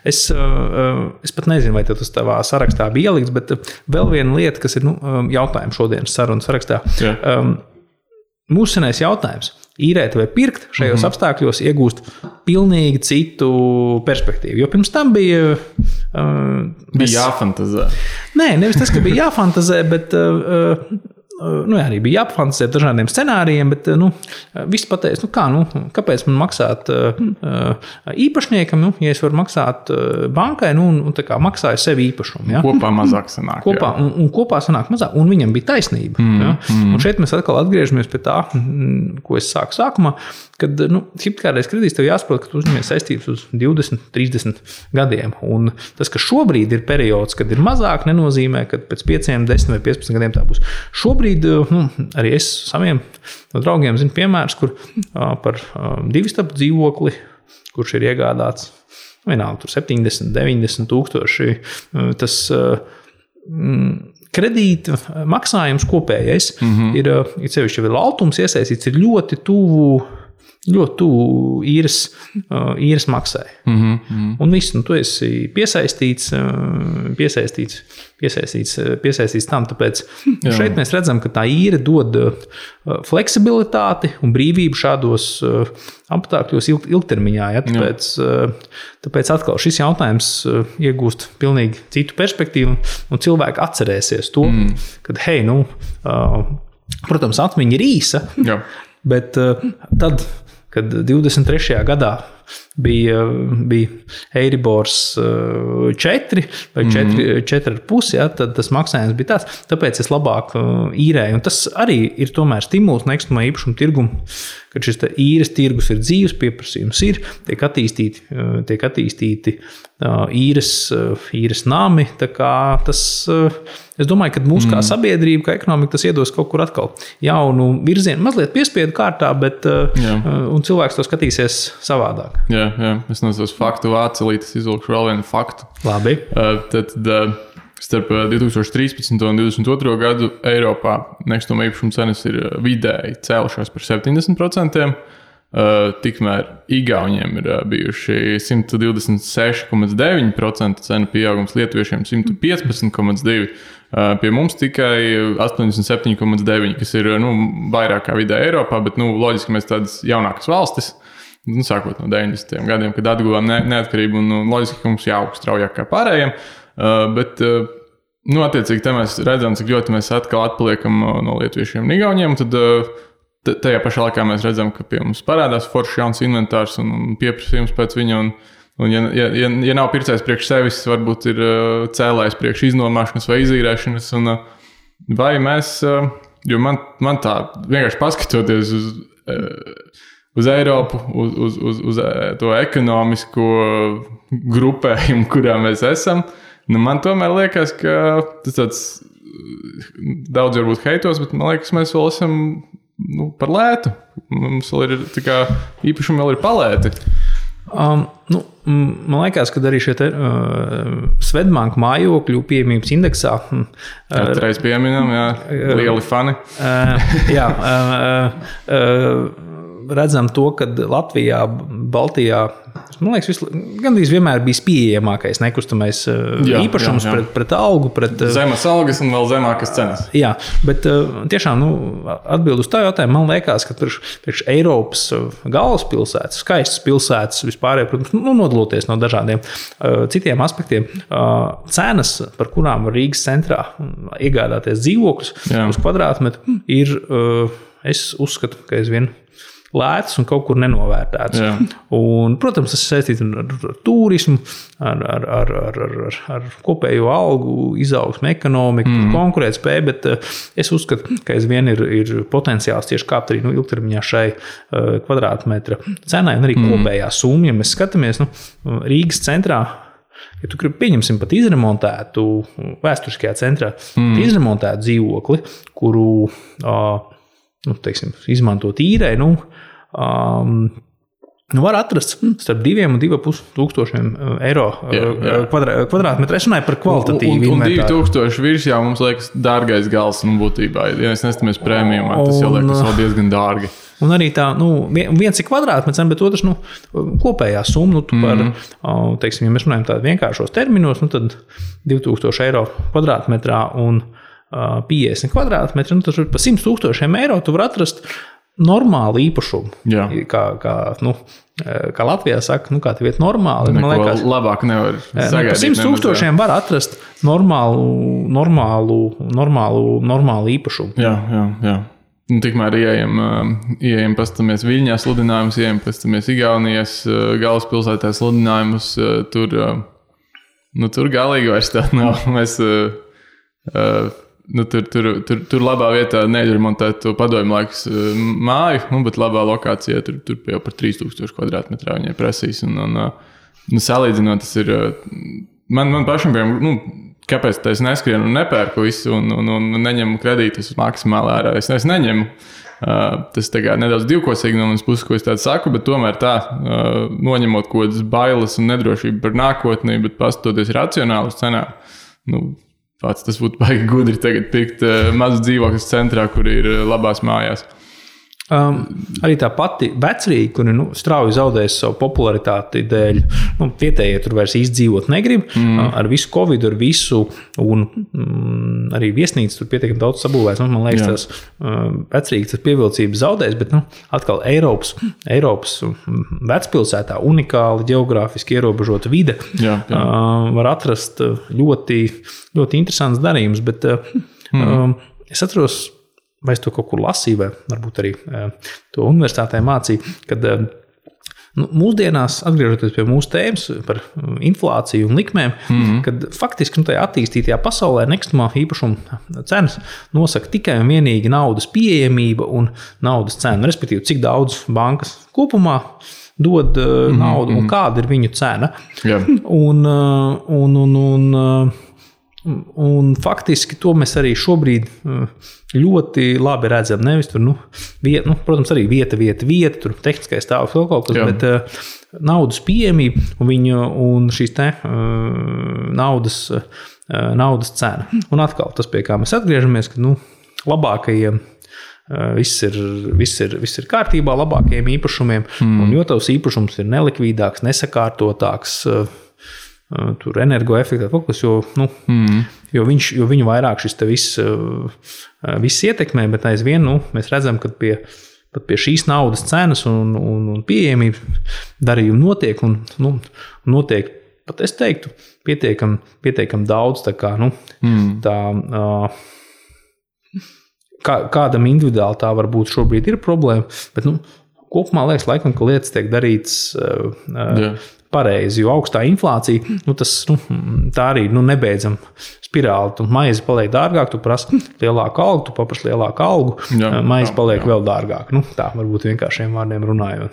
es pat nezinu, vai tas tavā sarakstā bija ielikts, bet vēl viena lieta, kas ir jautājums šodienas sarunas sarakstā. Mūsu senais jautājums. Īrēt vai pirkt šajos apstākļos iegūst pilnīgi citu perspektīvu. Jo pirms tam bija jāfantazē. Nē, nevis tas, ka bija jāfantazē, bet arī bija jāpafantazē dažādiem scenārijiem, bet viss pateica, kāpēc man maksāt īpašniekam, ja es varu maksāt bankai, un tā kā maksāju sev īpašumu. Ja? Kopā mazāk sanāk. Kopā sanāk mazāk, un viņam bija taisnība. Ja? Un šeit mēs atkal atgriežamies pie tā, ko es sāku sākumā, kad hipotekārais kredīts tev jāsaprot, ka tu uzņemies saistības uz 20, 30 gadiem. Un tas, ka šobrīd ir periods, kad ir mazāk, nenozīmē, ka pēc 5, 10 vai 15 gadiem tā būs. Šobrīd arī es saviem draugiem zinu piemērus, kur par 2-stabu dzīvokli, kurš ir iegādāts vienalga, tur 70, 90 tūkstoši, tas kredīta maksājums kopējais ir sevišķi vēl altums iesaistīts, ir ļoti tuvu īres maksai. Un viss, tu esi piesaistīts tam, tāpēc šeit mēs redzam, ka tā īre dod fleksibilitāti un brīvību šādos apstākļos ilgtermiņā. Ja? Tāpēc atkal šis jautājums iegūst pilnīgi citu perspektīvu un cilvēki atcerēsies to, kad, protams, atmiņa ir īsa, bet tad, kad 23. gadā bija Eiribors 4 vai 4,5, ja, tad tas maksājums bija tāds. Tāpēc es labāk īrēju. Un tas arī ir tomēr stimuls nekustamā īpašuma tirgumu, kad šis īres tirgus ir dzīves, pieprasījums ir, tiek attīstīti īres nami. Tā kā tas, es domāju, ka mūsu kā sabiedrība, kā ekonomika, tas iedos kaut kur atkal jaunu virzienu, mazliet piespiedu kārtā, bet un cilvēks to skatīsies savādāk. Jā. Es nesos faktu vācelītes, izvilkšu vēl vienu faktu. Labi. Tad starp 2013. un 2022. gadu Eiropā nekustamā īpašuma cenas ir vidēji cēlušās par 70%. Tikmēr Igauniem ir bijuši 126,9% cenu pieaugums, lietuviešiem 115,2%. Pie mums tikai 87,9%, kas ir vairāk kā vidēji Eiropā, bet loģiski mēs tādas jaunākas valstis. Sākot no 90. gadiem, kad atguvām neatkarību un loģiski, ka mums jāaug straujāk kā pārējiem. Bet, attiecīgi, te mēs redzam, cik ļoti mēs atkal atpaliekam no lietuviešiem un igauniem. Tad tajā pašā laikā mēs redzam, ka pie mums parādās foršs jauns inventārs un pieprasījums pēc viņa. Un, ja nav pircējs priekš sevis, varbūt ir cēlājs priekš iznomāšanas vai izīrēšanas. Un, vai mēs, jo man tā vienkārši paskatoties uz Eiropu, uz to ekonomisko grupējumu, kurā mēs esam, man tomēr liekas, ka tas tāds daudz varbūt heitos, bet man liekas, mēs vēl esam par lētu. Mums vēl ir tā kā īpašumi vēl ir palēti. Man liekas, ka arī šie Swedbank mājokļu pieejamības indeksā Katreiz pieminam, lieli fani. Redzam to, ka Latvijā, Baltijā, man liekas, gandrīz vienmēr bijis pieejamākais nekustamais īpašums pret algu. Zemes algas un vēl zemākas cenas. Jā, bet tiešām atbild uz tā jautājumu, man liekas, ka priekš Eiropas galvaspilsētas, skaistas pilsētas vispārēj, protams, nodaloties no dažādiem citiem aspektiem, cenas, par kurām var Rīgas centrā iegādāties dzīvokļus uz kvadrātmetru, ir, es uzskatu, ka aizvien lētas un kaut kur nenovērtētas. Un, protams, tas ir saistīts ar turismu, ar kopējo algu, izaugsmu, ekonomiku, konkurētspēju, bet es uzskatu, ka aizvien ir potenciāls tieši kāpt arī ilgtermiņā šai kvadrātmetra cenai un arī kopējā summa. Ja mēs skatāmies Rīgas centrā, ja tu gribi pieņemsim pat izremontētu vēsturiskajā centrā, izremontētu dzīvokli, kuru teiksim, izmantot īrē, var atrast starp 2 un 2,5 tūkstošiem eiro kvadrātmetru. Es runāju par kvalitatīvu inventāru. Un 2000 virs jau mums liekas dārgais gals būtībā. Ja mēs nestamies prēmijumā, tas jau liekas vēl diezgan dārgi. Un arī tā, viens ir kvadrātmetrs, bet otrs, kopējā summa, par, teiksim, ja mēs runājam tādu vienkāršos terminos, tad 2000 eiro kvadrātmetrā un 50 kvadrātmetri, tad par 100 000 eiro tu var atrast normālu īpašumu. Kā Latvijā saka, kā tev iet normāli. Man liekas, labāk nevar sagaidīt. Par 100 000 var atrast normālu īpašumu. Jā. Tikmēr ieejam pastamies Viļņā sludinājumus, ieejam pastamies Igaunijas galvaspilsētā sludinājumus. Tur galīgi vairs tā nav. Mēs tur labā vietā neremontēt to padomju laiks māju, bet labā lokācijā tur jau par 3000 kvadrātmetrā viņai prasīs. Salīdzinot, tas ir man pašam, kāpēc es neskrienu un nepērku visu un neņemu kredītus maksimāli ārā. Es neņemu. Tas nedaudz divkosīgi no manas puses, ko es tādu saku, bet tomēr tā, noņemot kaut kādas bailes un nedrošību par nākotnī, bet pastoties racionāli uz cenām. Tas būtu baigi gudri tagad pirkt mazu dzīvokļus centrā, kur ir labās mājās. Arī tā pati Vecrīga, kur strauji zaudēs savu popularitāti dēļ, vietējie tur vairs izdzīvot negrib, ar visu Covid, ar visu, un arī viesnīcas tur pietiekami daudz sabūvēs. Man liekas, tās Vecrīgas tas pievilcības zaudēs, bet atkal Eiropas vecpilsētā unikāli ģeogrāfiski ierobežota vide var atrast ļoti, ļoti interesants darījums, bet es atceros, vai es to kaut kur lasīju, vai varbūt arī to universitātē mācīju, kad mūsdienās, atgriežoties pie mūsu tēmas par inflāciju un likmēm, kad faktiski tajā attīstītajā pasaulē nekustamā īpašuma cenas nosaka tikai un vienīgi naudas pieejamība un naudas cena, respektīvi, cik daudz bankas kopumā dod naudu un kāda ir viņu cena. Un faktiski to mēs arī šobrīd ļoti labi redzam. Nevis tur, protams, arī vieta, tur tehniskais stāvoklis vēl kaut kas, bet naudas pieejamība un šīs naudas cena. Un atkal tas, pie kā mēs atgriežamies, ka labākajiem viss ir kārtībā, labākajiem īpašumiem, un jo tavs īpašums ir nelikvīdāks, nesakārtotāks, tur energoefektīvs kaut kas, jo viņu vairāk šis te viss ietekmē, bet aizvien mēs redzam, ka pat pie šīs naudas cenas un pieejamības darījumi notiek un notiek, pat es teiktu, pietiekam daudz, tā kā, kādam individuāli tā varbūt šobrīd ir problēma, bet kopumā liekas laikam, ka lietas tiek darītas pareizi, jo augstā inflācija, tas, tā arī nebeidzam spirāli. Tu maizi paliek dārgāk, tu prasi lielāku algu, tu paprasi lielāku algu, maizi paliek vēl dārgāk. Tā varbūt vienkāršiem vārdiem runājot.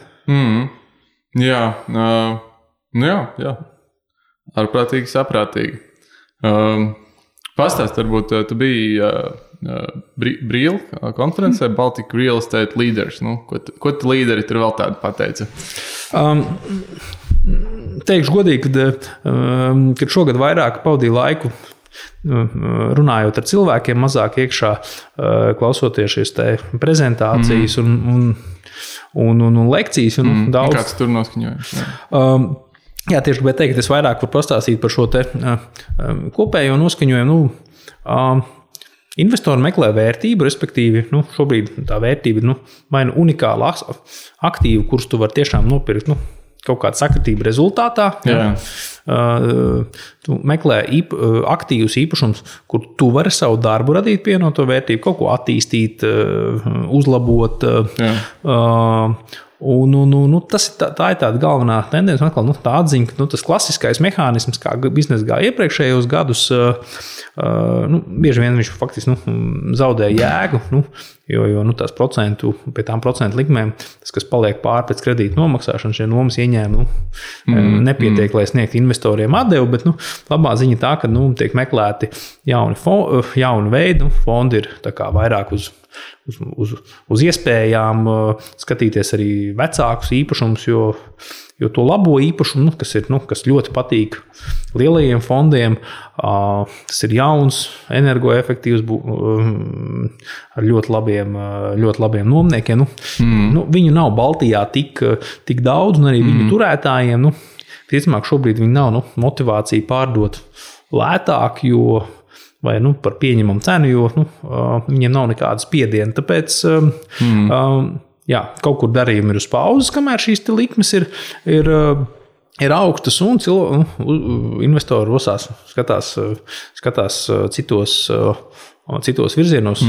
Jā. Ārprātīgi, saprātīgi. Pastāst, varbūt tu biji Brīla konferencē Baltic Real Estate Leaders. Ko tu līderi tur vēl tādu pateica? Teikšu godīgi, kad šogad vairāk pavadīju laiku runājot ar cilvēkiem, mazāk iekšā klausoties šīs te prezentācijas un lekcijas. Daudz. Kāds tur noskaņojums? Jā, tieši gribēju teikt, ka es vairāk varu pastāstīt par šo te kopējo noskaņojumu. Investori meklē vērtību, respektīvi, šobrīd tā vērtība ir vai unikāla aktīva, kurus tu vari tiešām nopirkt kaut kāda sakritība rezultātā. Tu meklē aktīvus īpašumus, kur tu vari savu darbu radīt pievienoto vērtību, kaut ko attīstīt, uzlabot. Tā ir tāda galvenā tendence, atkal tā atziņa, ka tas klasiskais mehānisms, kā biznesa gāja iepriekšējos gadus, bieži vien viņš faktiski zaudē jēgu, jo tās pie tām procentu likmēm, tas, kas paliek pāri pēc kredīta nomaksāšanas, šie nomas ieņēmumi nepietiek, lai sniegtu investoriem atdevu, bet labā ziņa tā, ka tiek meklēti jauni veidi, fondi ir tā kā vairāk uz iespējām skatīties arī vecākus īpašumus, jo to labo īpašumu, kas ļoti patīk lielajiem fondiem, tas ir jauns, energoefektīvs, ar ļoti labiem nomniekiem. Viņu nav Baltijā tik daudz, un arī viņu turētājiem, ticamāk, šobrīd viņi nav motivācija pārdot lētāk, vai par pieņemamu cenu, jo viņiem nav nekāda spiediena. Tāpēc kaut kur darījumi ir uz pauzes, kamēr šīs likmes ir augstas un investori rosās, skatās citos virzienos.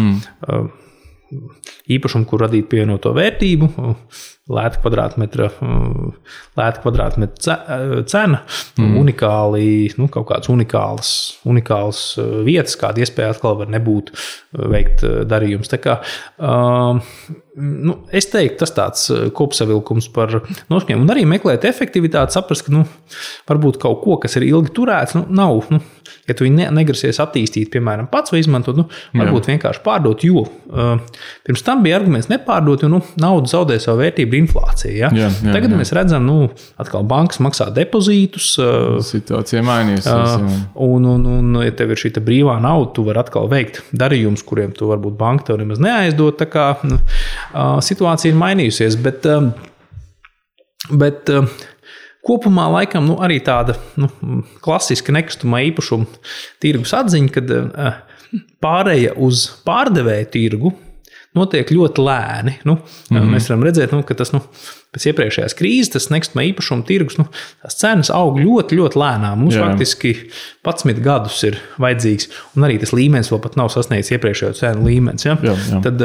Īpašumu, kur radīt pievienoto vērtību, lēta kvadrātmetra cena, unikāli, kaut kādas unikālas vietas, kāda iespēja atkal var nebūt veikt darījums. Tā kā, es teiktu, tas tāds kopsavilkums par noskaņojumu. Un arī meklēt efektivitāti, saprast, ka varbūt kaut ko, kas ir ilgi turēts, nav. Ja tu viņu negrasies attīstīt, piemēram, pats vai izmantot, varbūt vienkārši pārdot, jo pirms tam bija arguments nepārdot, jo nauda zaudē savu vērtību inflācija. Tagad mēs redzam, atkal bankas maksā depozītus. Situācija mainījusies. Un ja tev ir šī brīvā nauda, tu vari atkal veikt darījumus, kuriem tu varbūt banka tev nemaz neaizdot. Tā kā situācija ir mainījusies, bet kopumā laikam arī tāda klasiska nekustamā īpašuma tirgus atziņa, kad pāreja uz pārdevēju tirgu notiek ļoti lēni. Mēs varam redzēt, ka tas pēc iepriekšējās krīzes, tas nekustamā īpašuma tirgus, tās cenas aug ļoti, ļoti lēnām. Mums faktiski 11 gadus ir vajadzīgs, un arī tas līmenis vēl pat nav sasniedzis iepriekšējo cenu līmenis. Tad,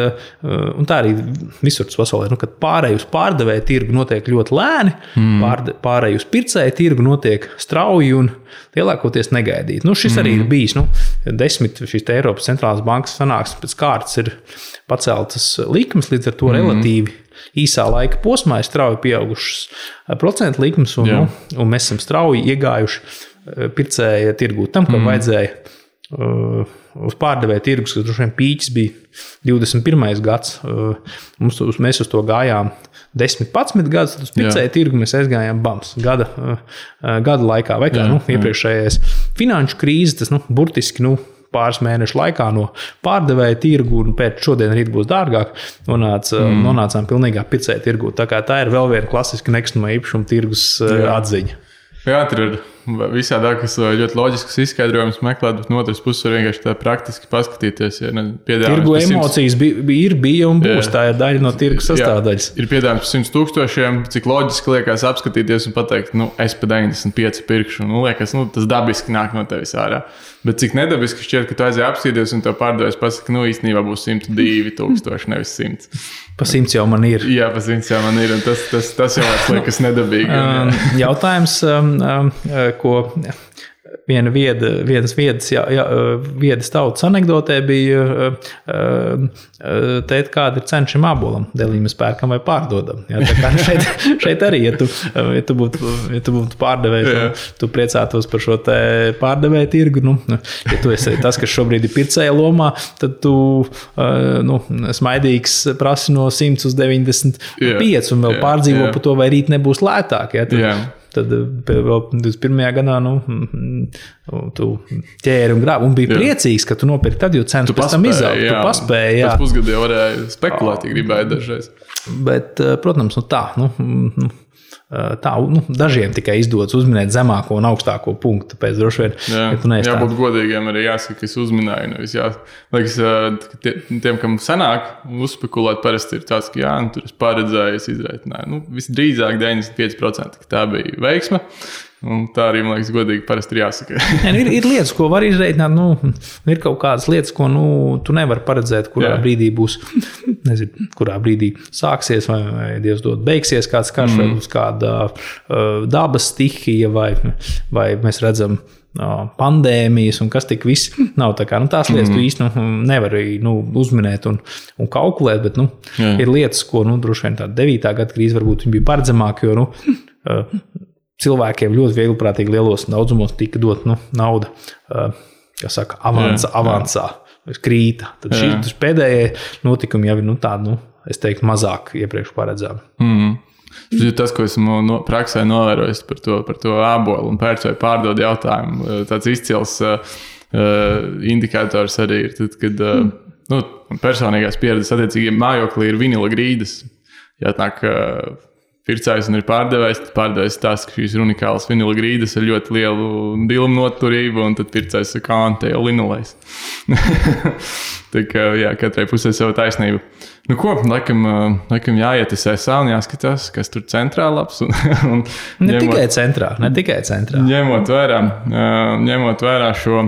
un tā arī visur tas pasaulē, kad pārēj uz pārdevēju tirgu notiek ļoti lēni, pārēj uz pircēju tirgu notiek strauji un lielākoties negaidīt. Šis arī ir bijis. 10 šīs Eiropas centrālās bankas sanāksmes pēc kārtas ir paceltas likmes, līdz ar to relatīvi īsā laika posmā ir strauji pieaugušas procentu likmes, un mēs esam strauji iegājuši pircēja tirgū tam, kam vajadzēja uz pārdevēja tirgus, kas droši vien pīķis bija 21. gads. Mēs uz to gājām 10-11 gadus, tad uz pircēja tirgu mēs aizgājām gada laikā, vai kā iepriekšējais finanšu krīze, tas burtiski pāris mēnešu laikā no pārdevēja tirgu un pēc šodien rīt būs dārgāk, nonācām pilnīgā pircēja tirgu. Tā kā tā ir vēl viena klasiska nekustamā īpašuma tirgus atziņa. Jā, tur ir visādākas ļoti loģiskas izskaidrojumus meklēt, bet no otras puses var vienkārši tā praktiski paskatīties. Ja tirgu emocijas bija un būs, tā ir daļa no tirgu sastāvdaļas. Ir piedāvājums par 100,000, cik loģiski liekas apskatīties un pateikt, es pa 95 pirkšu. Liekas, tas dabiski nāk no tevis ārā. Bet cik nedabiski šķiet, ka tu aizēji apskatīties un tev pārdevējs pasaka, īstenībā būs 102,000, nevis 100. Pa 100 jau man ir. Jā, pa 100 jau man ir, un tas jau liekas nedabīgi. Jautājums, ko vienas viedas tautas anekdotē bija teikt, kāda ir cena šim ābolam. Delī mēs pērkam vai pārdodam. Jā, tā kā šeit arī, ja tu būtu pārdevējs, tu priecātos par šo te pārdevēju tirgu. Ja tu esi tas, kas šobrīd ir pircēja lomā, tad tu smaidīgs prasi no 100 uz 95 un vēl pārdzīvo par to, vai rīt nebūs lētāk. Ja? Tad vēl 21. gadā tu ķēri un grābi un bija priecīgs, ka tu nopirki tad, jo cenas pēc tam izaug. Tu paspēji, jā. Pēc pusgadī varēja spekulēt, ja gribēja dažreiz. Bet, protams, dažiem tikai izdodas uzminēt zemāko un augstāko punktu. Tāpēc droši vien, ja tu neesi jābūt godīgiem, arī jāsaka, ka es uzminēju. Liekas, tiem, kam sanāk uzspekulēt, parasti ir tāds, ka tur es paredzēju, es izreitināju. Visdrīzāk 95%, ka tā bija veiksme. Un tā arī, man liekas, godīgi parasti ir jāsaka. ir lietas, ko var izreitināt. Ir kaut kādas lietas, ko tu nevari paredzēt, kurā brīdī būs, kurā brīdī sāksies vai Dievs dod beigsies kāds karš vai būs kāda dabas stihija vai mēs redzam pandēmijas un kas tik viss nav tā kā. Tās lietas tu īsti nevari uzminēt un kalkulēt, bet ir lietas, ko droši vien tāda 9. gada krīze varbūt viņi bija paredzamāk, jo cilvēkiem ļoti vieglprātīgi lielos daudzumos tika dot nauda, avansā, krīta. Tad šī pēdējie notikumi jau ir tādi, es teiktu, mazāk iepriekš paredzami. Tas, ko esmu praksē novērojis par to ābolu un pērc vai pārdod jautājumu, tāds izcils indikators arī ir, tad, kad personīgās pieredzes attiecīgi mājokli ir vinila grīdas. Jātnāk pircējs un ir pārdevējs, tad pārdevējs tās, ka šīs ir unikālas vinila grīdas ar ļoti lielu dilmu noturību, un tad pircējs saka, te jau linolejs. Tā kā, katrai pusē sava taisnība. Laikam jāiet SSA un jāskatās, kas tur centrā labs. Ne tikai centrā. Ņemot vērā šo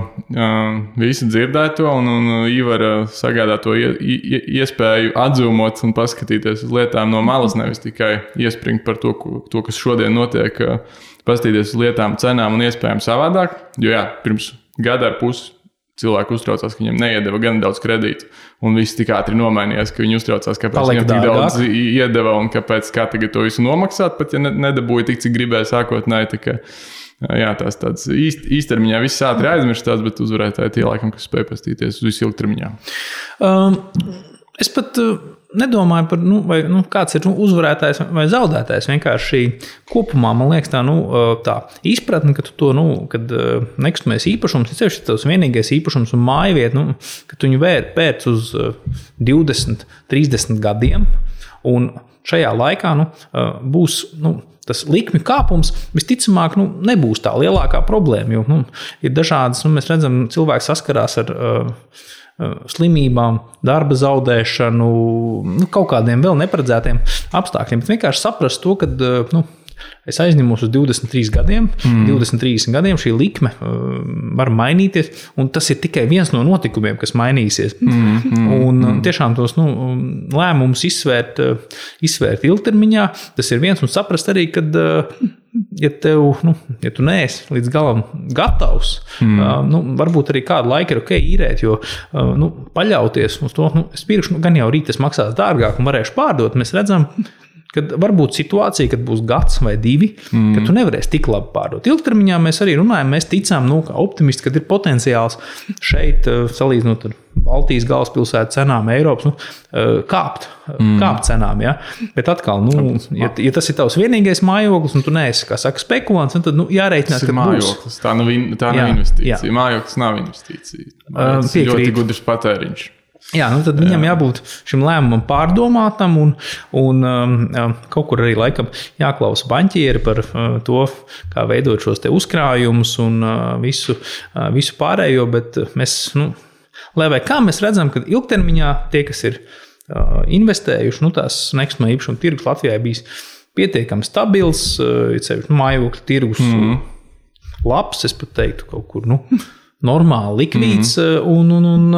visu dzirdēto un Ivara sagādāto iespēju atzūmot un paskatīties uz lietām no malas, nevis tikai iespringt par to, kas šodien notiek, paskatīties uz lietām, cenām un iespējām savādāk. Jo pirms gada ar pusi cilvēki uztraucās, ka viņiem neiedeva gan daudz kredītu, un viss tik ātri nomainījās, ka viņi uztraucās, kāpēc viņiem tik daudz iedeva un kā tagad to visu nomaksāt, pat ja nedabūja tik, cik gribēja sākotnēji. Tā kā, tās tāds īstermiņā viss ātri aizmirstās, bet uzvarētāji tie laikam, kas spēj pastīties uz visu ilgtermiņā. Es pat nedomāju par, kāds ir uzvarētājs vai zaudētājs. Vienkārši kopumā, man liekas, tā izpratne, ka tu to, kad nekustamais īpašums, ir sevišķi tavs vienīgais īpašums un mājvieta, ka tu viņu pērc uz 20, 30 gadiem, un šajā laikā būs, tas likmi kāpums visticamāk nebūs tā lielākā problēma, jo ir dažādas, mēs redzam, cilvēki saskarās ar slimībām, darba zaudēšanu, kaut kādiem vēl neparedzētiem apstākļiem, bet vienkārši saprast to, ka es aizņemos uz 23 gadiem, 20-30 gadiem šī likme var mainīties, un tas ir tikai viens no notikumiem, kas mainīsies. Un tiešām tos lēmumus izsvērt ilgtermiņā, tas ir viens, un saprast arī, kad ja tu neesi līdz galam gatavs, varbūt arī kādu laiku ir ok īrēt, jo paļauties uz to, es pirkšu, gan jau rīt tas maksās dārgāk un varēšu pārdot, mēs redzam, kad var būt situācija, kad būs gads vai divi, kad tu nevarēsi tik labi pārdot. Ilgtermiņā mēs arī runājam, mēs ticām, kā optimisti, kad ir potenciāls šeit, salīdzinot ar Baltijas galvaspilsētu cenām, Eiropas, kāpt cenām, ja? Bet atkal, ja tas ir tavs vienīgais mājoklis, un tu neesi, kā saka, spekulants, tad jārēķinās, ka mājoklis. Tā nav investīcija. Mājoklis nav investīcija. Tas ir ļoti gudrs patēriņš. Jā, nu tad viņam jābūt šim lēmumam pārdomātam un kaut kur arī laikam jāklausa baņķieri par to, kā veidot šos te uzkrājumus un visu pārējo, bet mēs, lai vai kā mēs redzam, ka ilgtermiņā tie, kas ir investējuši, tās nekustamā īpašuma tirgus Latvijā bijis pietiekami stabils, mājokļu tirgus labs, es pat teiktu kaut kur, normāli likvīds un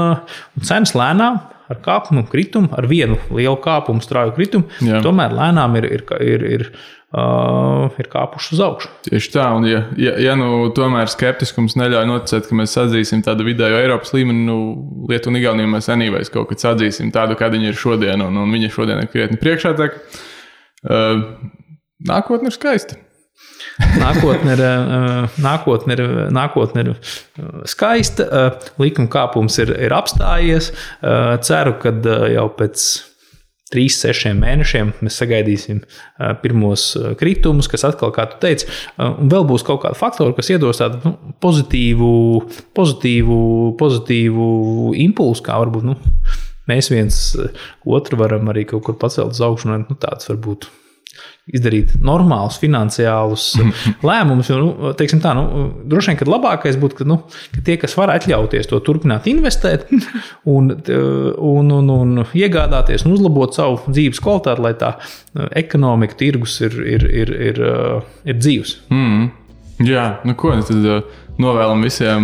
cenas lēnām ar kāpumu kritumu, ar vienu lielu kāpumu strauju kritumu, tomēr lēnām ir kāpuši uz augšu. Tieši tā, un ja tomēr skeptiskums neļauj noticēt, ka mēs sadzīsim tādu vidējo Eiropas līmeni, Lietu un Igauniju mēs anīvēs kaut kad sadzīsim tādu, kāda viņa ir šodien, un viņa šodien ir krietni priekšātāk. Nākotne ir skaista. Nākotne ir skaista, likuma kāpums ir apstājies. Ceru, ka jau pēc 3-6 mēnešiem mēs sagaidīsim pirmos kritumus, kas atkal, kā tu teici, un vēl būs kaut kādi faktori, kas iedos tādu pozitīvu impulsu, kā varbūt mēs viens otru varam arī kaut kur pacelt uz augšu, tāds varbūt izdarīt normālus finansiālus lēmumus. Teiksim tā, droši vien, ka labākais būtu, ka tie, kas var atļauties to turpināt investēt un iegādāties un uzlabot savu dzīves kvalitāti, lai tā ekonomika, tirgus ir dzīvs. Jā, tad novēlam visiem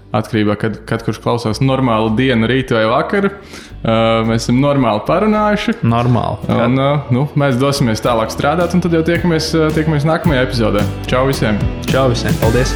atkarībā, kad kurš klausās normālu dienu, rītu vai vakaru. Mēs esam normāli parunājuši. Normāli. Un, mēs dosimies tālāk strādāt, un tad jau tiekamies nākamajā epizodē. Čau visiem! Paldies!